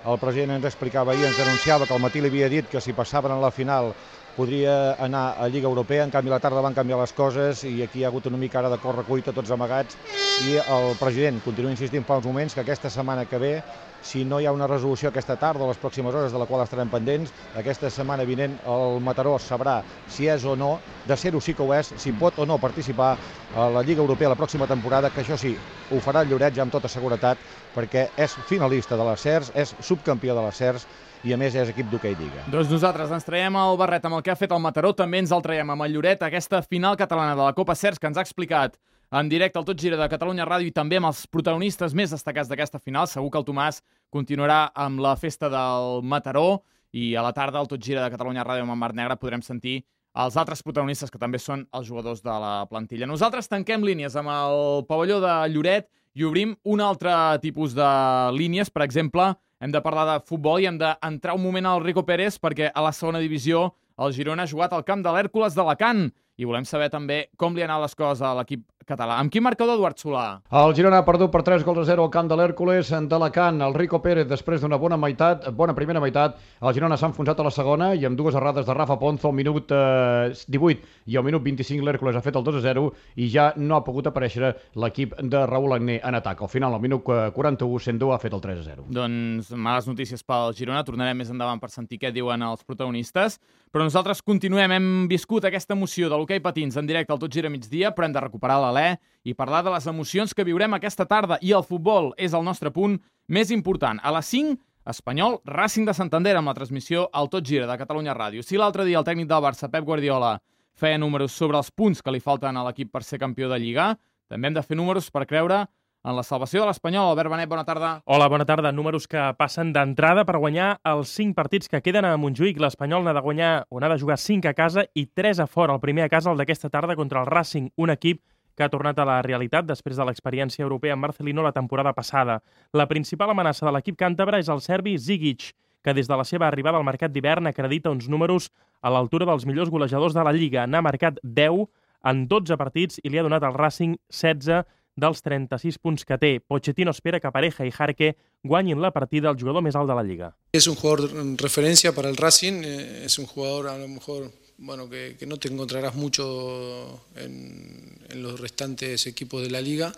El president ens explicava ahir, ens anunciava que al matí li havia dit que si passaven a la final podria anar a Lliga Europea. En canvi, a la tarda van canviar les coses i aquí hi ha hagut una mica ara de corre-cuita, tots amagats, i el president continua insistint fa uns moments que aquesta setmana que ve, si no hi ha una resolució aquesta tarda o les pròximes hores, de la qual estarem pendents, aquesta setmana vinent el Mataró sabrà si és o no, de ser-ho sí que ho és, si pot o no participar a la Lliga Europea la pròxima temporada, que això sí, ho farà el Lloret ja amb tota seguretat, perquè és finalista de la C E R S, és subcampió de la C E R S, i a més és equip d'Hoquei Lliga. Doncs nosaltres ens traiem el barret amb el que ha fet el Mataró, també ens el traiem amb el Lloret, aquesta final catalana de la Copa C E R S que ens ha explicat en directe al Tot Gira de Catalunya Ràdio, i també amb els protagonistes més destacats d'aquesta final. Segur que el Tomàs continuarà amb la festa del Mataró, i a la tarda al Tot Gira de Catalunya Ràdio amb en Marc Negre podrem sentir els altres protagonistes, que també són els jugadors de la plantilla. Nosaltres tanquem línies amb el pavelló de Lloret i obrim un altre tipus de línies. Per exemple, hem de parlar de futbol i hem d'entrar un moment al Rico Pérez, perquè a la segona divisió el Girona ha jugat al camp de l'Hèrcules d'Alacant, i volem saber també com li han anat les coses a l'equip català. Amb quin marcador, Eduard Solà? El Girona ha perdut per tres gols a zero al camp de l'Hèrcules d'Alacant. El Rico Pérez, després d'una bona meitat, bona primera meitat, el Girona s'ha enfonsat a la segona, i amb dues errades de Rafa Ponzo al minut eh, divuit i al minut vint-i-cinc l'Hèrcules ha fet el dos a zero, i ja no ha pogut aparèixer l'equip de Raúl Agné en atac. Al final, al minut quaranta-u, Sendó ha fet el tres a zero. Doncs males notícies pel Girona. Tornarem més endavant per sentir què diuen els protagonistes. Però nosaltres continuem. Hem viscut aquesta emoció de l'hoquei d'hoquei patins en directe al Tot Gira Migdia, però hem de recuperar l'alè i parlar de les emocions que viurem aquesta tarda. I el futbol és el nostre punt més important. A les cinc, Espanyol, Racing de Santander, amb la transmissió al Tot Gira de Catalunya Ràdio. Si l'altre dia el tècnic del Barça, Pep Guardiola, feia números sobre els punts que li falten a l'equip per ser campió de Lliga, també hem de fer números per creure en la salvació de l'Espanyol. Albert Benet, bona tarda. Hola, bona tarda. Números que passen d'entrada per guanyar els cinc partits que queden a Montjuïc. L'Espanyol n'ha de guanyar o n'ha de jugar cinc a casa i tres a fora. El primer a casa, el d'aquesta tarda, contra el Racing, un equip que ha tornat a la realitat després de l'experiència europea amb Marcelino la temporada passada. La principal amenaça de l'equip càntabre és el serbi Zigic, que des de la seva arribada al mercat d'hivern acredita uns números a l'altura dels millors golejadors de la Lliga. N'ha marcat deu en dotze partits i li ha donat al Racing setze dels trenta-sis punts que té. Pochettino espera que Pareja i Jarque guanyin la partida al jugador més alt de la Lliga. Es un jugador en referencia para el Racing, eh, es un jugador a lo mejor bueno, que, que no te encontrarás mucho en, en los restantes equipos de la Liga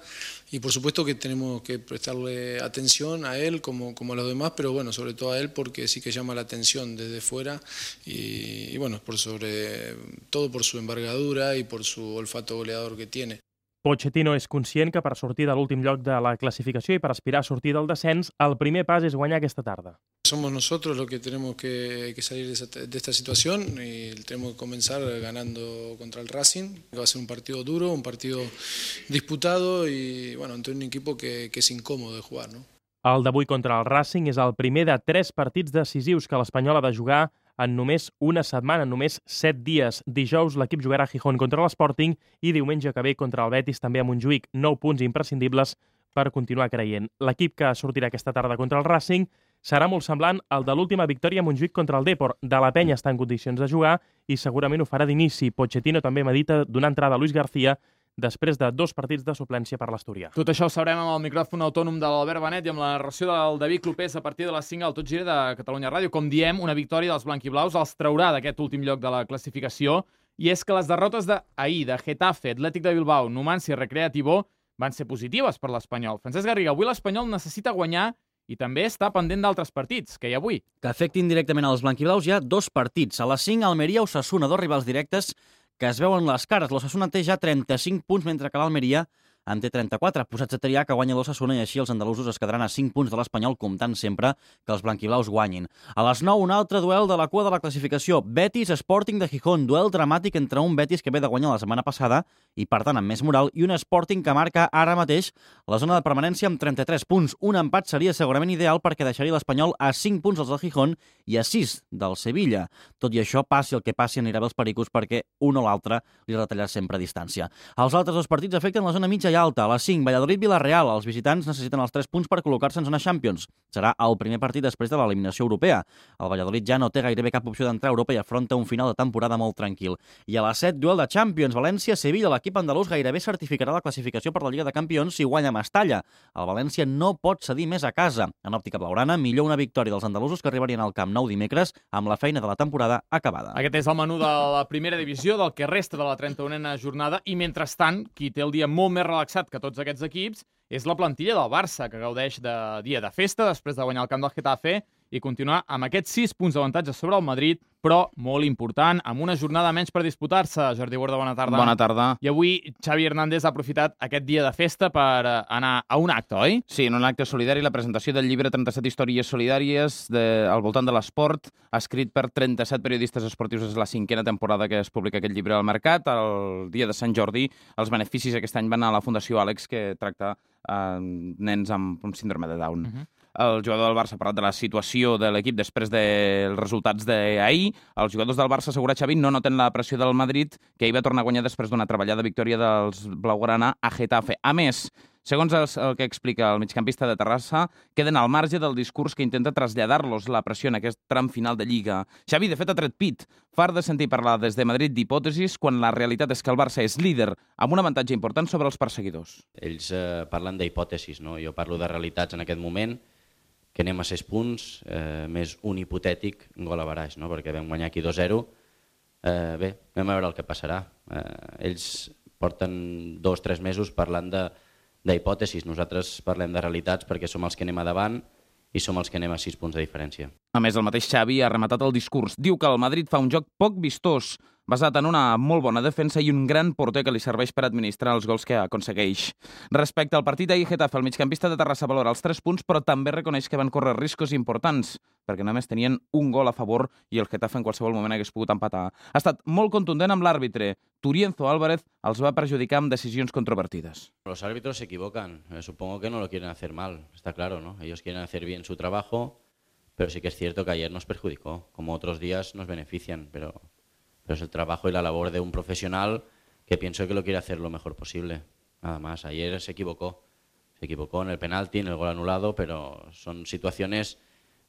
y por supuesto que tenemos que prestarle atención a él como, como a los demás, pero bueno, sobre todo a él porque sí que llama la atención desde fuera y, y bueno, por sobre todo por su envergadura y por su olfato goleador que tiene. Pochettino és conscient que per sortir de l'últim lloc de la classificació i per aspirar a sortir del descens, el primer pas és guanyar aquesta tarda. Somos nosotros los que tenemos que, que salir de, esa, de esta situación y tenemos que comenzar ganando contra el Racing. Va a ser un partido duro, un partido disputado y bueno, ante un equipo que, que es incómodo de jugar, ¿no? El d'avui contra el Racing és el primer de tres partits decisius que l'Espanyol ha de jugar en només una setmana, en només set dies. Dijous l'equip jugarà a Gijón contra l'Sporting i diumenge que ve contra el Betis també a Montjuïc. Nou punts imprescindibles per continuar creient. L'equip que sortirà aquesta tarda contra el Racing serà molt semblant al de l'última victòria a Montjuïc contra el Depor. De la Penya està en condicions de jugar i segurament ho farà d'inici. Pochettino també medita donar entrada a Luis García després de dos partits de suplència per l'Asturià. Tot això ho sabrem amb el micròfon autònom de l'Albert Benet i amb la narració del David Clopés a partir de les cinc al Tot Gira de Catalunya Ràdio. Com diem, una victòria dels blanquiblaus els traurà d'aquest últim lloc de la classificació i és que les derrotes d'ahir de Getafe, Atlètic de Bilbao, Numancia i Recreativo van ser positives per l'Espanyol. Francesc Garriga, avui l'Espanyol necessita guanyar i també està pendent d'altres partits, que hi ha avui. Que afectin directament als blanquiblaus hi ha dos partits. A les cinc, Almeria-Osasuna, dos rivals directes que es veuen les cares. L'Osasuna té ja trenta-cinc punts, mentre que l'Almeria en té trenta-quatre. Posats a triar que guanya l'Osasuna i així els andalusos es quedaran a cinc punts de l'Espanyol, comptant sempre que els blanquiblaus guanyin. A les nou, un altre duel de la cua de la classificació. Betis-Sporting de Gijón. Duel dramàtic entre un Betis que ve de guanyar la setmana passada i, per tant, amb més moral, i un Sporting que marca ara mateix la zona de permanència amb trenta-tres punts. Un empat seria segurament ideal perquè deixaria l'Espanyol a cinc punts dels del Gijón i a sis del Sevilla. Tot i això, passi el que passi, anirà bé els pericos perquè un o l'altre li retallarà sempre a distància. Els altres dos partits afecten la zona mitja i alta. A les cinc, Valladolid-Villarreal. Els visitants necessiten els tres punts per col·locar-se en zona Champions. Serà el primer partit després de l'eliminació europea. El Valladolid ja no té gairebé cap opció d'entrar a Europa i afronta un final de temporada molt tranquil. I a les set, duel de Champions. València-Sevilla. L'equip andalús gairebé certificarà la classificació per la Lliga de Campions si guanya Mestalla. El València no pot cedir més a casa. En òptica blaugrana, millor una victòria dels andalusos que arribarien al Camp Nou dimecres amb la feina de la temporada acabada. Aquest és el menú de la primera divisió, del que resta de la trenta-unena jornada, i mentrestant, qui té el dia molt més relaxat que tots aquests equips és la plantilla del Barça, que gaudeix de dia de festa després de guanyar el camp del Getafe i continuar amb aquests sis punts d'avantatge sobre el Madrid, però molt important, amb una jornada menys per disputar-se. Jordi Borda, bona tarda. Bona tarda. I avui Xavi Hernández ha aprofitat aquest dia de festa per anar a un acte, oi? Sí, en un acte solidari, la presentació del llibre trenta-set històries solidàries de, al voltant de l'esport, escrit per trenta-set periodistes esportius. És la cinquena temporada que es publica aquest llibre al mercat. El dia de Sant Jordi, els beneficis aquest any van a la Fundació Àlex, que tracta eh, nens amb un síndrome de Down. Uh-huh. El jugador del Barça ha parlat de la situació de l'equip després dels resultats d'ahir. Els jugadors del Barça, assegura Xavi, no noten la pressió del Madrid, que ahir va tornar a guanyar després d'una treballada victòria dels blaugrana a Getafe. A més, segons el que explica el migcampista de Terrassa, queden al marge del discurs que intenta traslladar-los la pressió en aquest tram final de Lliga. Xavi, de fet, ha tret pit. Far de sentir parlar des de Madrid d'hipòtesis quan la realitat és que el Barça és líder, amb un avantatge important sobre els perseguidors. Ells eh, parlen d'hipòtesis, no? Jo parlo de realitats en aquest moment, que anem a sis punts, eh, més un hipotètic gol a baraix, no? Perquè vam guanyar aquí dos zero. Eh, bé, vam a veure el que passarà. Eh, ells porten dos o tres mesos parlant de d'hipòtesis. Nosaltres parlem de realitats perquè som els que anem a davant i som els que anem a sis punts de diferència. A més, el mateix Xavi ha rematat el discurs. Diu que el Madrid fa un joc poc vistós, basat en una molt bona defensa i un gran porter que li serveix per administrar els gols que aconsegueix. Respecte al partit d'ahir, Getafe, el migcampista de Terrassa valora els tres punts, però també reconeix que van córrer riscos importants, perquè només tenien un gol a favor i el Getafe en qualsevol moment hagués pogut empatar. Ha estat molt contundent amb l'àrbitre. Turienzo Álvarez els va perjudicar amb decisions controvertides. Los árbitros se equivocan. Eh, supongo que no lo quieren hacer mal, está claro, ¿no? Ellos quieren hacer bien su trabajo, pero sí que es cierto que ayer nos perjudicó. Como otros días nos benefician, pero... pero es el trabajo y la labor de un profesional que pienso que lo quiere hacer lo mejor posible. Nada más, ayer se equivocó. Se equivocó en el penalti, en el gol anulado, pero son situaciones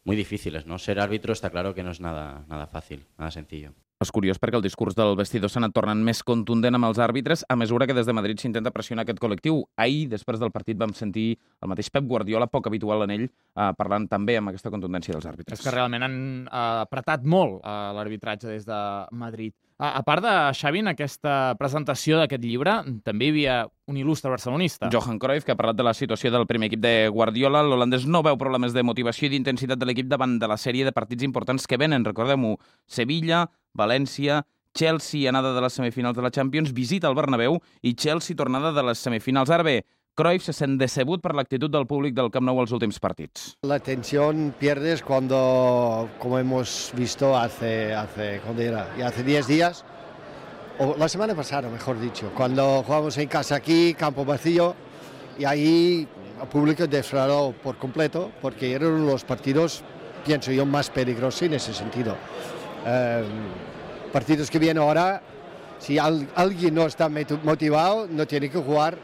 muy difíciles, ¿no? Ser árbitro está claro que no es nada, nada fácil, nada sencillo. És curiós perquè el discurs del vestidor s'ha anat tornant més contundent amb els àrbitres a mesura que des de Madrid s'intenta pressionar aquest col·lectiu. Ahir, després del partit, vam sentir el mateix Pep Guardiola, poc habitual en ell, eh, parlant també amb aquesta contundència dels àrbitres. És que realment han eh, apretat molt eh, l'arbitratge des de Madrid. A, a part de Xavi, en aquesta presentació d'aquest llibre, també hi havia un il·lustre barcelonista. Johan Cruyff, que ha parlat de la situació del primer equip de Guardiola. L'holandès no veu problemes de motivació i d'intensitat de l'equip davant de la sèrie de partits importants que venen. Recordem-ho, Sevilla, València, Chelsea, anada de les semifinals de la Champions, visita al Bernabéu i Chelsea, tornada de les semifinals. Ara bé, Cruyff se sent decebut per l'actitud del públic del Camp Nou als últims partits. La tensión pierdes cuando, como hemos visto hace, hace, ¿cuándo era? Ya hace diez días, o la semana pasada, mejor dicho, cuando jugamos en casa aquí, campo vacío, y ahí el público defraudó por completo, porque eran los partidos, pienso yo, más peligrosos en ese sentido. Eh, partidos que vienen ahora, si al, alguien no está motivado, no tiene que jugar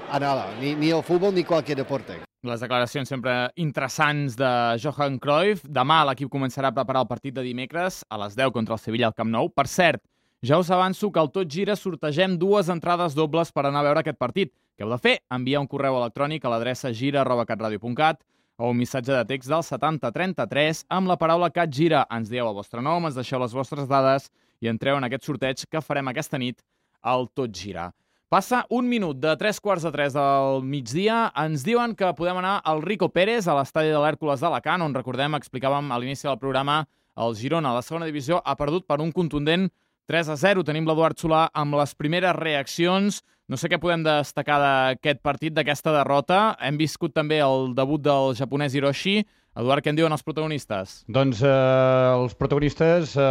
a nada, ni, ni el fútbol ni cualquier deporte. Les declaracions sempre interessants de Johan Cruyff. Demà l'equip començarà a preparar el partit de dimecres a les deu contra el Sevilla al Camp Nou. Per cert, ja us avanço que al Tot Gira sortegem dues entrades dobles per anar a veure aquest partit. Què heu de fer? Enviar un correu electrònic a l'adreça gira arroba catradio punt cat o un missatge de text del setanta trenta-tres amb la paraula CatGira. Ens dieu el vostre nom, ens deixeu les vostres dades i entreu en aquest sorteig que farem aquesta nit al Tot Gira. Passa un minut de tres quarts de tres del migdia. Ens diuen que podem anar al Rico Pérez, a l'estadi de l'Hèrcules d'Alacant, on, recordem, explicàvem a l'inici del programa, el Girona, a la segona divisió, ha perdut per un contundent tres a zero. Tenim l'Eduard Solà amb les primeres reaccions. No sé què podem destacar d'aquest partit, d'aquesta derrota. Hem viscut també el debut del japonès Hiroshi. Eduard, què en diuen els protagonistes? Doncs eh, els protagonistes eh,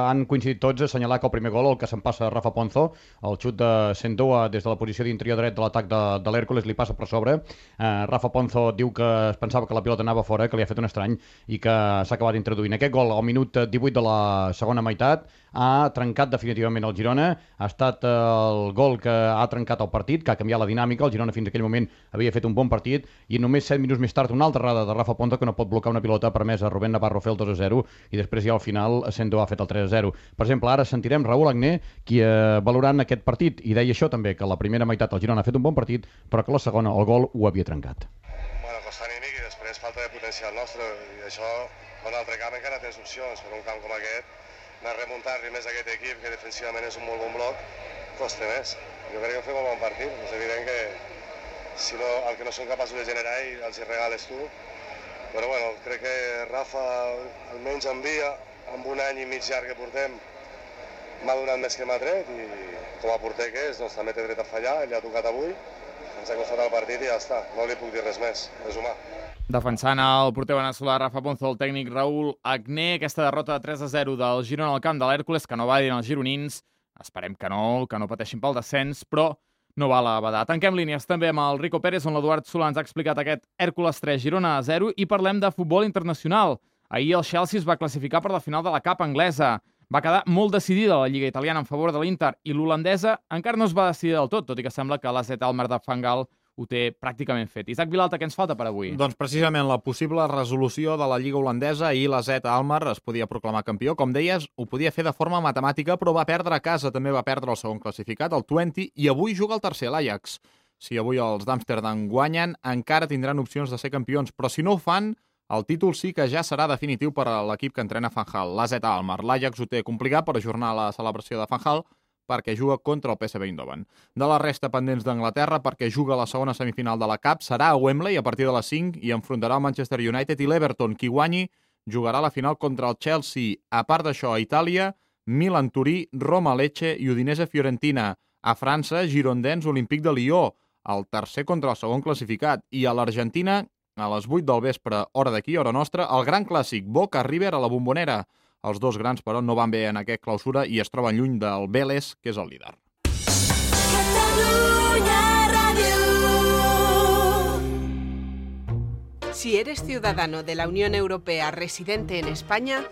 han coincidit tots a assenyalar que el primer gol, el que se'n passa a Rafa Ponzo, el xut de Sendoa des de la posició d'interior dret de l'atac de, de l'Hèrcules, li passa per sobre. Eh, Rafa Ponzo diu que es pensava que la pilota anava fora, que li ha fet un estrany i que s'ha acabat introduint. Aquest gol al minut divuit de la segona meitat ha trencat definitivament el Girona. Ha estat el gol que ha trencat el partit, que ha canviat la dinàmica. El Girona fins aquell moment havia fet un bon partit i només set minuts més tard una altra errada de Rafa Ponzo que no pot bloquear una pilota permesa a Rubén Navarro fer el dos a zero i després ja al final Sendo ha fet el tres a zero. Per exemple, ara sentirem Raúl Agné qui eh, valorant aquest partit i deia això també, que la primera meitat el Girona ha fet un bon partit però que la segona el gol ho havia trencat. Bueno, costa anímic i després falta de potencial nostre i això en un altre camp encara tens opcions, per un camp com aquest anar a remuntar-li més aquest equip que defensivament és un molt bon bloc costa més. Jo crec que fem un bon partit, és evident que si no, el que no són capaços de generar i els regales tu. Però bueno, crec que Rafa almenys envia, amb un any i mig llarg que portem, m'ha donat més que m'ha tret i com a porter que és, doncs també té dret a fallar, ell ha tocat avui, ens ha costat el partit i ja està, no li puc dir res més, és humà. Defensant el porter veneçolà Rafa Ponzo, el tècnic Raúl Agné, aquesta derrota de tres a zero del Girona al camp de l'Hèrcules, que no va dir als gironins, esperem que no, que no pateixin pel descens, però no val a badar. Tanquem línies també amb el Rico Pérez, on l'Eduard Solà ens ha explicat aquest Hèrcules tres, Girona a zero, i parlem de futbol internacional. Ahir el Chelsea es va classificar per la final de la Cup anglesa. Va quedar molt decidida la Lliga italiana en favor de l'Inter i l'holandesa encara no es va decidir del tot, tot i que sembla que l'A Z Alkmaar de Van Gaal ho té pràcticament fet. Isaac Vilalta, què ens falta per avui? Doncs precisament la possible resolució de la Lliga holandesa. I l'A Z Alkmaar es podia proclamar campió. Com deies, ho podia fer de forma matemàtica, però va perdre a casa. També va perdre el segon classificat, el Twente, i avui juga el tercer, l'Ajax. Si avui els d'Amsterdam guanyen, encara tindran opcions de ser campions, però si no ho fan, el títol sí que ja serà definitiu per a l'equip que entrena Van Gaal, l'A Z Alkmaar. L'Ajax ho té complicat per ajornar la celebració de Van Gaal, perquè juga contra el P S V Eindhoven. De la resta pendents d'Anglaterra, perquè juga la segona semifinal de la Cup, serà a Wembley a partir de les cinc i enfrontarà el Manchester United i l'Everton. Qui guanyi jugarà la final contra el Chelsea. A part d'això, a Itàlia, Milan-Turí, Roma-Lecce i Udinese-Fiorentina. A França, Girondins, Olímpic de Lió, el tercer contra el segon classificat. I a l'Argentina, a les vuit del vespre, hora d'aquí, hora nostra, el gran clàssic Boca-River a la Bombonera. Els dos grans, però, no van bé en aquest clausura i es troben lluny del Vélez, que és el líder. Si eres ciudadano de la Unión Europea residente en España,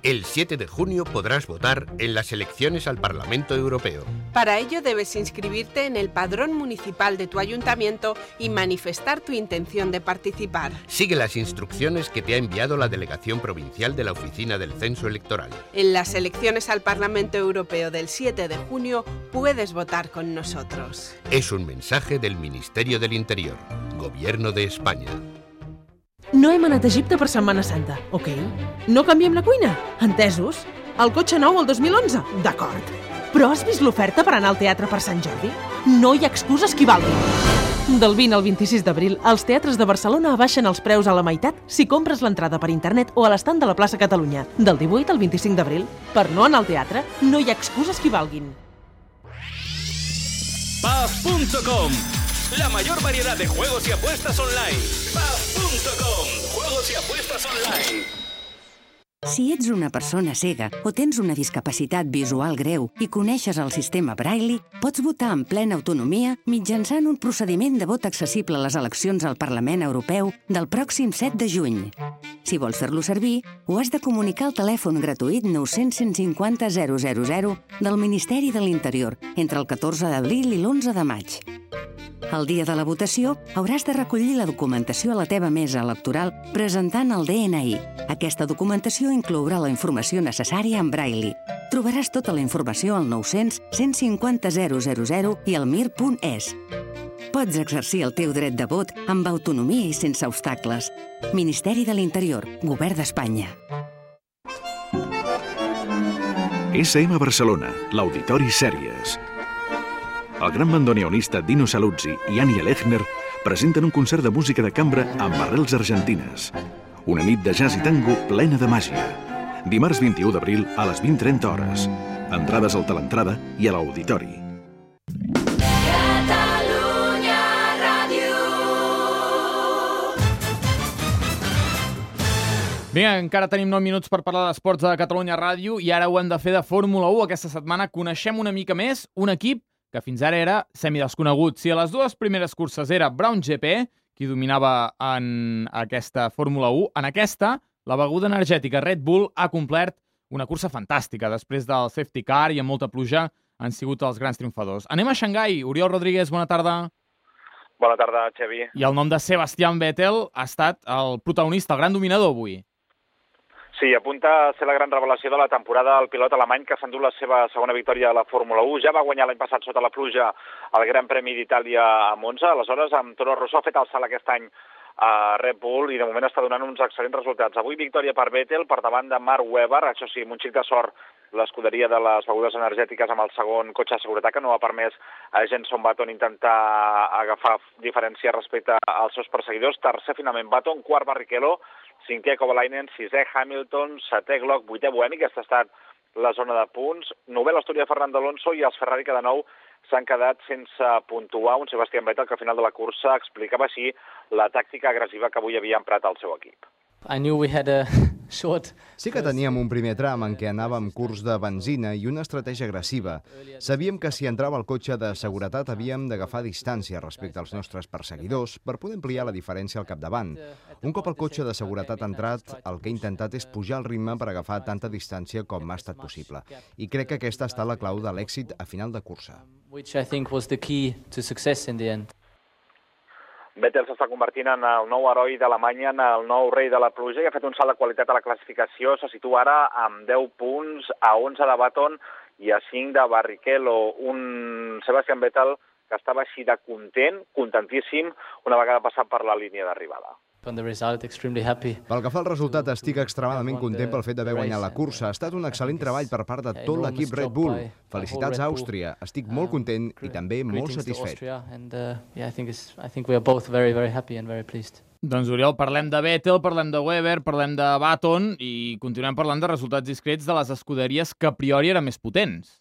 el siete de junio podrás votar en las elecciones al Parlamento Europeo. Para ello debes inscribirte en el padrón municipal de tu ayuntamiento y manifestar tu intención de participar. Sigue las instrucciones que te ha enviado la Delegación Provincial de la Oficina del Censo Electoral. En las elecciones al Parlamento Europeo del siete de junio puedes votar con nosotros. Es un mensaje del Ministerio del Interior, Gobierno de España. No hem anat a Egipte per Setmana Santa, ok? No canviem la cuina? Entesos? El cotxe nou el dos mil onze? D'acord. Però has vist l'oferta per anar al teatre per Sant Jordi? No hi ha excuses que hi valguin. Del vint al vint-i-sis d'abril, els teatres de Barcelona abaixen els preus a la meitat si compres l'entrada per internet o a l'estand de la plaça Catalunya. Del divuit al vint-i-cinc d'abril. Per no anar al teatre, no hi ha excuses que hi valguin. Paf punto com, la mayor variedad de juegos y apuestas online. Paf punto com, juegos y apuestas online. Si ets una persona cega o tens una discapacitat visual greu i coneixes el sistema Braille, pots votar en plena autonomia mitjançant un procediment de vot accessible a les eleccions al Parlament Europeu del pròxim set de juny. Si vols fer-lo servir, ho has de comunicar al telèfon gratuït nou cents cent cinquanta zero zero zero del Ministeri de l'Interior entre el catorze d'abril i l'onze de maig. El dia de la votació hauràs de recollir la documentació a la teva mesa electoral presentant el D N I. Aquesta documentació inclourà la informació necessària en Braille. Trobaràs tota la informació al nou cents cent cinquanta zero zero zero i al mir punt es. Pots exercir el teu dret de vot amb autonomia i sense obstacles. Ministeri de l'Interior, Govern d'Espanya. S M Barcelona, l'Auditori Sèries. El gran bandoneonista Dino Saluzzi i Ania Lechner presenten un concert de música de cambra amb arrels argentines. Una nit de jazz i tango plena de màgia. Dimarts vint-i-u d'abril a les vint trenta hores. Entrades al Telentrada i a l'Auditori. Catalunya Ràdio. Vinga, encara tenim nou minuts per parlar d'esports a Catalunya Ràdio i ara ho hem de fer de Fórmula u. Aquesta setmana coneixem una mica més un equip que fins ara era semidesconegut. Si a les dues primeres curses era Brown G P, qui dominava en aquesta Fórmula u, en aquesta, la beguda energètica Red Bull ha complert una cursa fantàstica. Després del safety car i amb molta pluja han sigut els grans triomfadors. Anem a Xangai. Oriol Rodríguez, bona tarda. Bona tarda, Xavi. I el nom de Sebastian Vettel ha estat el protagonista, el gran dominador avui. Sí, apunta a ser la gran revelació de la temporada el pilot alemany que s'endú la seva segona victòria a la Fórmula u. Ja va guanyar l'any passat sota la pluja el Gran Premi d'Itàlia a Monza. Aleshores, amb Toro Rosso ha fet el salt aquest any a Red Bull i de moment està donant uns excel·lents resultats. Avui victòria per Vettel per davant de Mark Webber. Això sí, amb un xic de sort l'escuderia de les begudes energètiques amb el segon cotxe de seguretat que no ha permès a Jenson Button intentar agafar diferència respecte als seus perseguidors. Tercer finalment Button, quart Barrichello, cinquè Kovalainen, sisè Hamilton, setè Glock, vuitè Buemi, aquesta ha estat la zona de punts, novè l'Astúria Fernando Alonso i els Ferrari que de nou s'han quedat sense puntuar. Un Sebastian Vettel que al final de la cursa explicava així la tàctica agressiva que avui havia emprat el seu equip. I knew we had a short... Sí que teníem un primer tram en què anàvem curs de benzina i una estratègia agressiva. Sabíem que si entrava el cotxe de seguretat havíem d'agafar distància respecte als nostres perseguidors per poder ampliar la diferència al capdavant. Un cop el cotxe de seguretat ha entrat, el que he intentat és pujar el ritme per agafar tanta distància com m'ha estat possible. I crec que aquesta ha estat la clau de l'èxit a final de cursa. Which I think was the key to success in the end. Vettel s'està convertint en el nou heroi d'Alemanya, en el nou rei de la pluja i ha fet un salt de qualitat a la classificació. Se situa ara amb deu punts, a onze de Button i a cinc de Barrichello. Un Sebastian Vettel que estava així de content, contentíssim, una vegada passat per la línia d'arribada. on the result, extremely happy. Pel que fa al resultat, estic extremadament content pel fet d'haver guanyat la cursa. Ha estat un excel·lent treball per part de tot l'equip Red Bull. Felicitats a Àustria. Estic molt content i també molt satisfet. Doncs, Oriol, parlem de Vettel, parlem de Webber, parlem de Button i continuem parlant de resultats discrets de les escuderies que a priori eren més potents.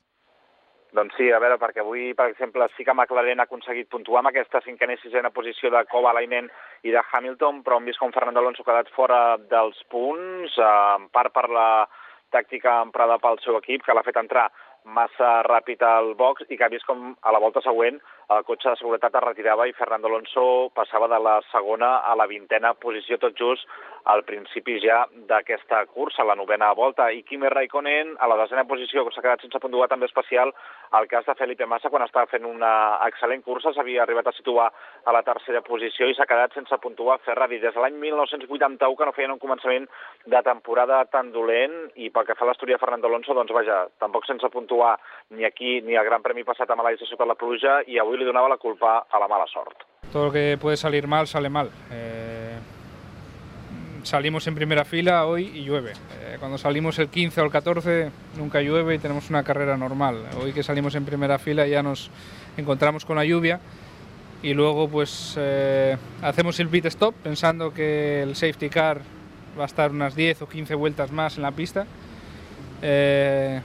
Doncs sí, a veure, perquè avui, per exemple, sí que McLaren ha aconseguit puntuar amb aquesta cinquena i sisena posició de Kovalainen i de Hamilton, però hem vist com Fernando Alonso ha quedat fora dels punts, en part per la tàctica emprada pel seu equip, que l'ha fet entrar massa ràpid al box i que ha vist com a la volta següent el cotxe de seguretat es retirava i Fernando Alonso passava de la segona a la vintena posició tot just al principi ja d'aquesta cursa, la novena volta. I Kimi Raikkonen a la desena posició, que s'ha quedat sense puntuar, també especial el cas de Felipe Massa quan estava fent una excel·lent cursa, s'havia arribat a situar a la tercera posició i s'ha quedat sense puntuar. Ferrari des de l'any mil nou-cents vuitanta-u que no feien un començament de temporada tan dolent i pel que fa a l'Astúria Fernando Alonso, doncs vaja, tampoc sense puntuar ni aquí ni al Gran Premi passat a Malàisia sota la pluja i avui li donava la culpa a la mala sort. Todo lo que puede salir mal, sale mal. Eh, salimos en primera fila hoy y llueve. Eh, cuando salimos el quince o el catorce nunca llueve y tenemos una carrera normal. Hoy que salimos en primera fila ya nos encontramos con la lluvia y luego pues eh, hacemos el pit stop pensando que el safety car va a estar unas diez o quince vueltas más en la pista. Eh,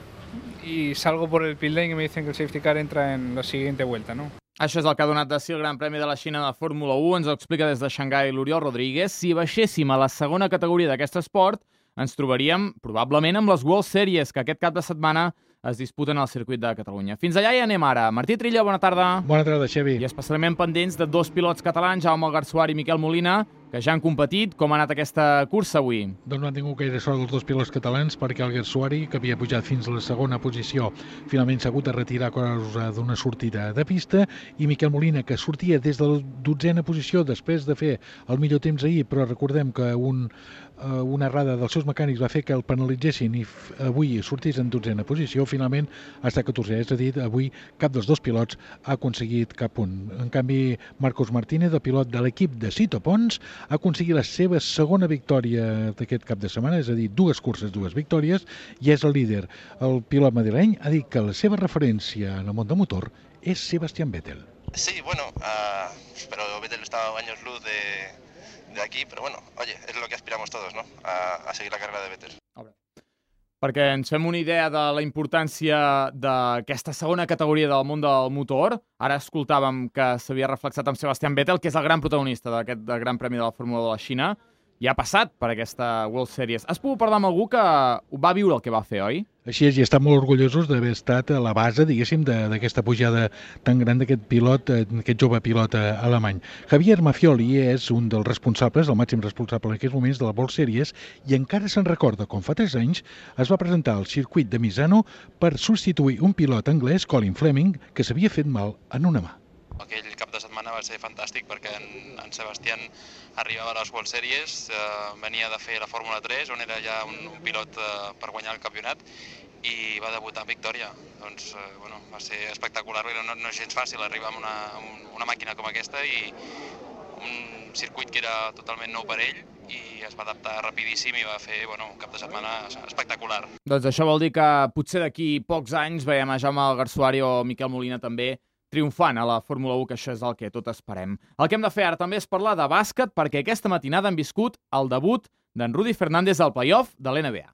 y salgo por el pit lane y me dicen que el safety car entra en la siguiente vuelta, ¿no? Això és el que ha donat de si el Gran Premi de la Xina de Fórmula u. Ens ho explica des de Xangai l'Oriol Rodríguez. Si baixéssim a la segona categoria d'aquest esport, ens trobaríem probablement amb les World Series, que aquest cap de setmana es disputen al circuit de Catalunya. Fins allà i anem ara. Martí Trilla, bona tarda. Bona tarda, Xevi. I especialment pendents de dos pilots catalans, Jaume Garsuar i Miquel Molina, que ja han competit. Com ha anat aquesta cursa avui? Doncs no han tingut gaire sort els dos pilots catalans perquè el Garsuari, que havia pujat fins a la segona posició, finalment s'ha hagut de retirar a causa d'una sortida de pista, i Miquel Molina, que sortia des de la dotzena posició després de fer el millor temps ahir, però recordem que un, uh, una errada dels seus mecànics va fer que el penalitzessin i avui sortís en dotzena posició, finalment ha estat catorzè, és a dir, avui cap dels dos pilots ha aconseguit cap punt. En canvi, Marcos Martínez, el pilot de l'equip de Sito Pons, ha aconseguit la seva segona victòria d'aquest cap de setmana, és a dir, dues curses, dues victòries, i és el líder. El pilot madrileny ha dit que la seva referència en el món del motor és Sebastián Vettel. Sí, bueno, uh, pero Vettel está a años luz de, de aquí, pero bueno, oye, es lo que aspiramos todos, ¿no? A, a seguir la carrera de Vettel. Perquè ens fem una idea de la importància d'aquesta segona categoria del món del motor. Ara escoltàvem que s'havia reflexat amb Sebastián Vettel, que és el gran protagonista d'aquest Gran Premi de la Fórmula de la Xina, i ha passat per aquesta World Series. Has pogut parlar amb algú que va viure el que va fer, oi? Així és, i estan molt orgullosos d'haver estat a la base, diguéssim, d'aquesta pujada tan gran d'aquest pilot, aquest jove pilot alemany. Javier Mafioli és un dels responsables, el màxim responsable en aquests moments de la World Series, i encara se'n recorda com fa tres anys es va presentar al circuit de Misano per substituir un pilot anglès, Colin Fleming, que s'havia fet mal en una mà. Aquell cap de setmana va ser fantàstic perquè en, en Sebastián arribava a les World Series, eh, venia de fer la Fórmula tres, on era ja un, un pilot eh, per guanyar el campionat, i va debutar en victòria. Doncs, eh, bueno, va ser espectacular, no, no és gens fàcil arribar amb una, amb una màquina com aquesta i un circuit que era totalment nou per ell, i es va adaptar rapidíssim i va fer bueno, un cap de setmana espectacular. Doncs això vol dir que potser d'aquí pocs anys veiem a Jaume Garsuari o Miquel Molina també triomfant a la Fórmula u, que això és el que tot esperem. El que hem de fer ara també és parlar de bàsquet, perquè aquesta matinada hem viscut el debut d'en Rudy Fernández al play-off de l'N B A.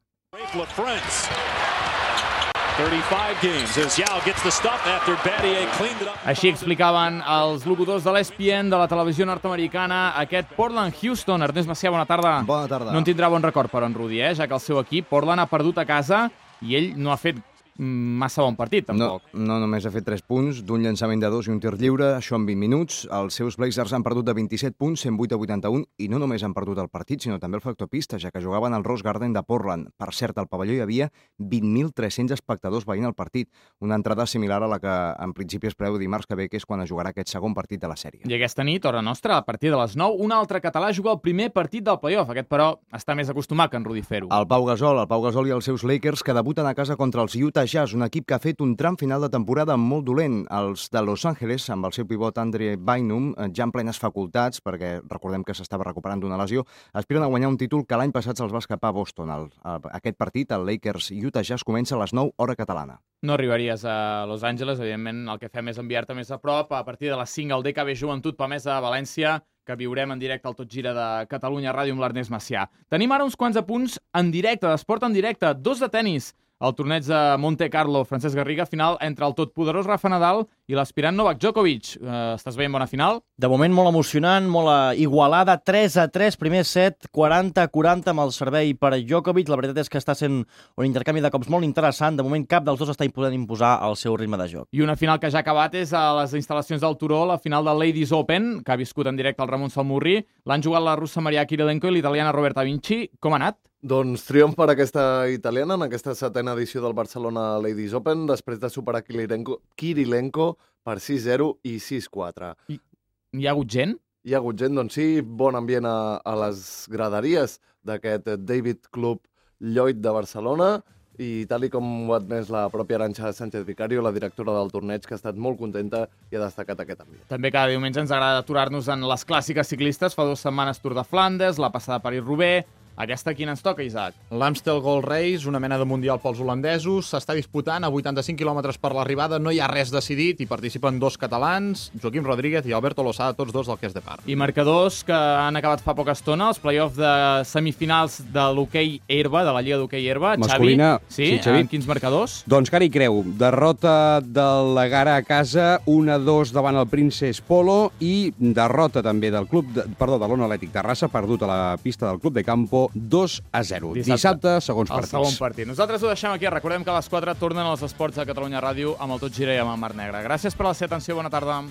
Així explicaven els locutors de l'E S P N de la televisió nord-americana aquest Portland-Houston. Ernest Macià, bona tarda. Bona tarda. No en tindrà bon record, però, en Rudy, eh? Ja que el seu equip, Portland, ha perdut a casa i ell no ha fet massa bon partit, tampoc. No, no només ha fet tres punts, d'un llançament de dos i un tir lliure, això en vint minuts. Els seus Blazers han perdut de vint-i-set punts, cent vuit a vuitanta-un, i no només han perdut el partit, sinó també el factor pista, ja que jugaven al Rose Garden de Portland. Per cert, al pavelló hi havia vint mil tres-cents espectadors veient el partit, una entrada similar a la que en principi es preveu dimarts que ve, que és quan es jugarà aquest segon partit de la sèrie. I aquesta nit, hora nostra, a partir de les nou, un altre català juga el primer partit del play-off. Aquest, però, està més acostumat que en Rudy fer-ho. El Pau Gasol, el Pau Gasol i els seus Lakers, que debuten a casa contra els Utah Utah Jazz, un equip que ha fet un tram final de temporada molt dolent. Els de Los Angeles, amb el seu pivot Andre Bynum, ja en plenes facultats, perquè recordem que s'estava recuperant d'una lesió, aspiren a guanyar un títol que l'any passat se'ls va escapar a Boston. El, aquest partit, el Lakers-Utah Jazz, comença a les nou, hora catalana. No arribaries a Los Angeles, evidentment el que fem és enviar-te més a prop. A partir de les cinc al D K B Joventut Pamesa a València, que viurem en directe al Tot Gira de Catalunya Ràdio amb l'Ernest Macià. Tenim ara uns quants apunts en directe, d'esport en directe, dos de tennis. El torneig de Monte Carlo, Francesc Garriga, final entre el totpoderós Rafa Nadal i l'aspirant Novak Djokovic. Uh, estàs veient bona final? De moment molt emocionant, molt igualada, tres a tres, primer set, quaranta a quaranta amb el servei per Djokovic. La veritat és que està sent un intercanvi de cops molt interessant. De moment cap dels dos està podent imposar el seu ritme de joc. I una final que ja ha acabat és a les instal·lacions del Turó, la final del Ladies Open, que ha viscut en directe el Ramon Salmurri. L'han jugat la russa Maria Kirilenko i l'italiana Roberta Vinci. Com ha anat? Doncs triomf per aquesta italiana en aquesta setena edició del Barcelona Ladies Open, després de superar Kirilenko, Kirilenko per sis zero i sis quatre. I hi ha hagut gent? Hi ha hagut gent, doncs sí, bon ambient a, a les graderies d'aquest David Club Lloyd de Barcelona, i tal i com ho ha admès la pròpia Arantxa Sánchez Vicario, la directora del torneig, que ha estat molt contenta i ha destacat aquest ambient. També cada diumenge ens agrada aturar-nos en les clàssiques ciclistes. Fa dues setmanes Tour de Flandes, la passada París-Roubaix. Aquesta quina ens toca, Isaac? L'Amstel Gold Race, una mena de mundial pels holandesos, s'està disputant a vuitanta-cinc quilòmetres per l'arribada, no hi ha res decidit, hi participen dos catalans, Joaquim Rodríguez i Alberto Losada, tots dos del Ques de Par. I marcadors que han acabat fa poca estona, els play-offs de semifinals de l'hoquei herba, de la Lliga d'hoquei herba. Masculina. Xavi, sí, sí, Xavi. En quins marcadors? Doncs Cari Creu, derrota del Gara a casa, un a dos davant el Princess Polo i derrota també del club, de, perdó, de l'Ona Atlètic Terrassa, perdut a la pista del Club de Campo, dos a zero. Dissabte, Dissabte segons partits. El segon partit. Nosaltres ho deixem aquí. Recordem que a les quatre tornen els esports de Catalunya Ràdio amb el Tot Gira i amb el Mar Negre. Gràcies per la seva atenció. Bona tarda.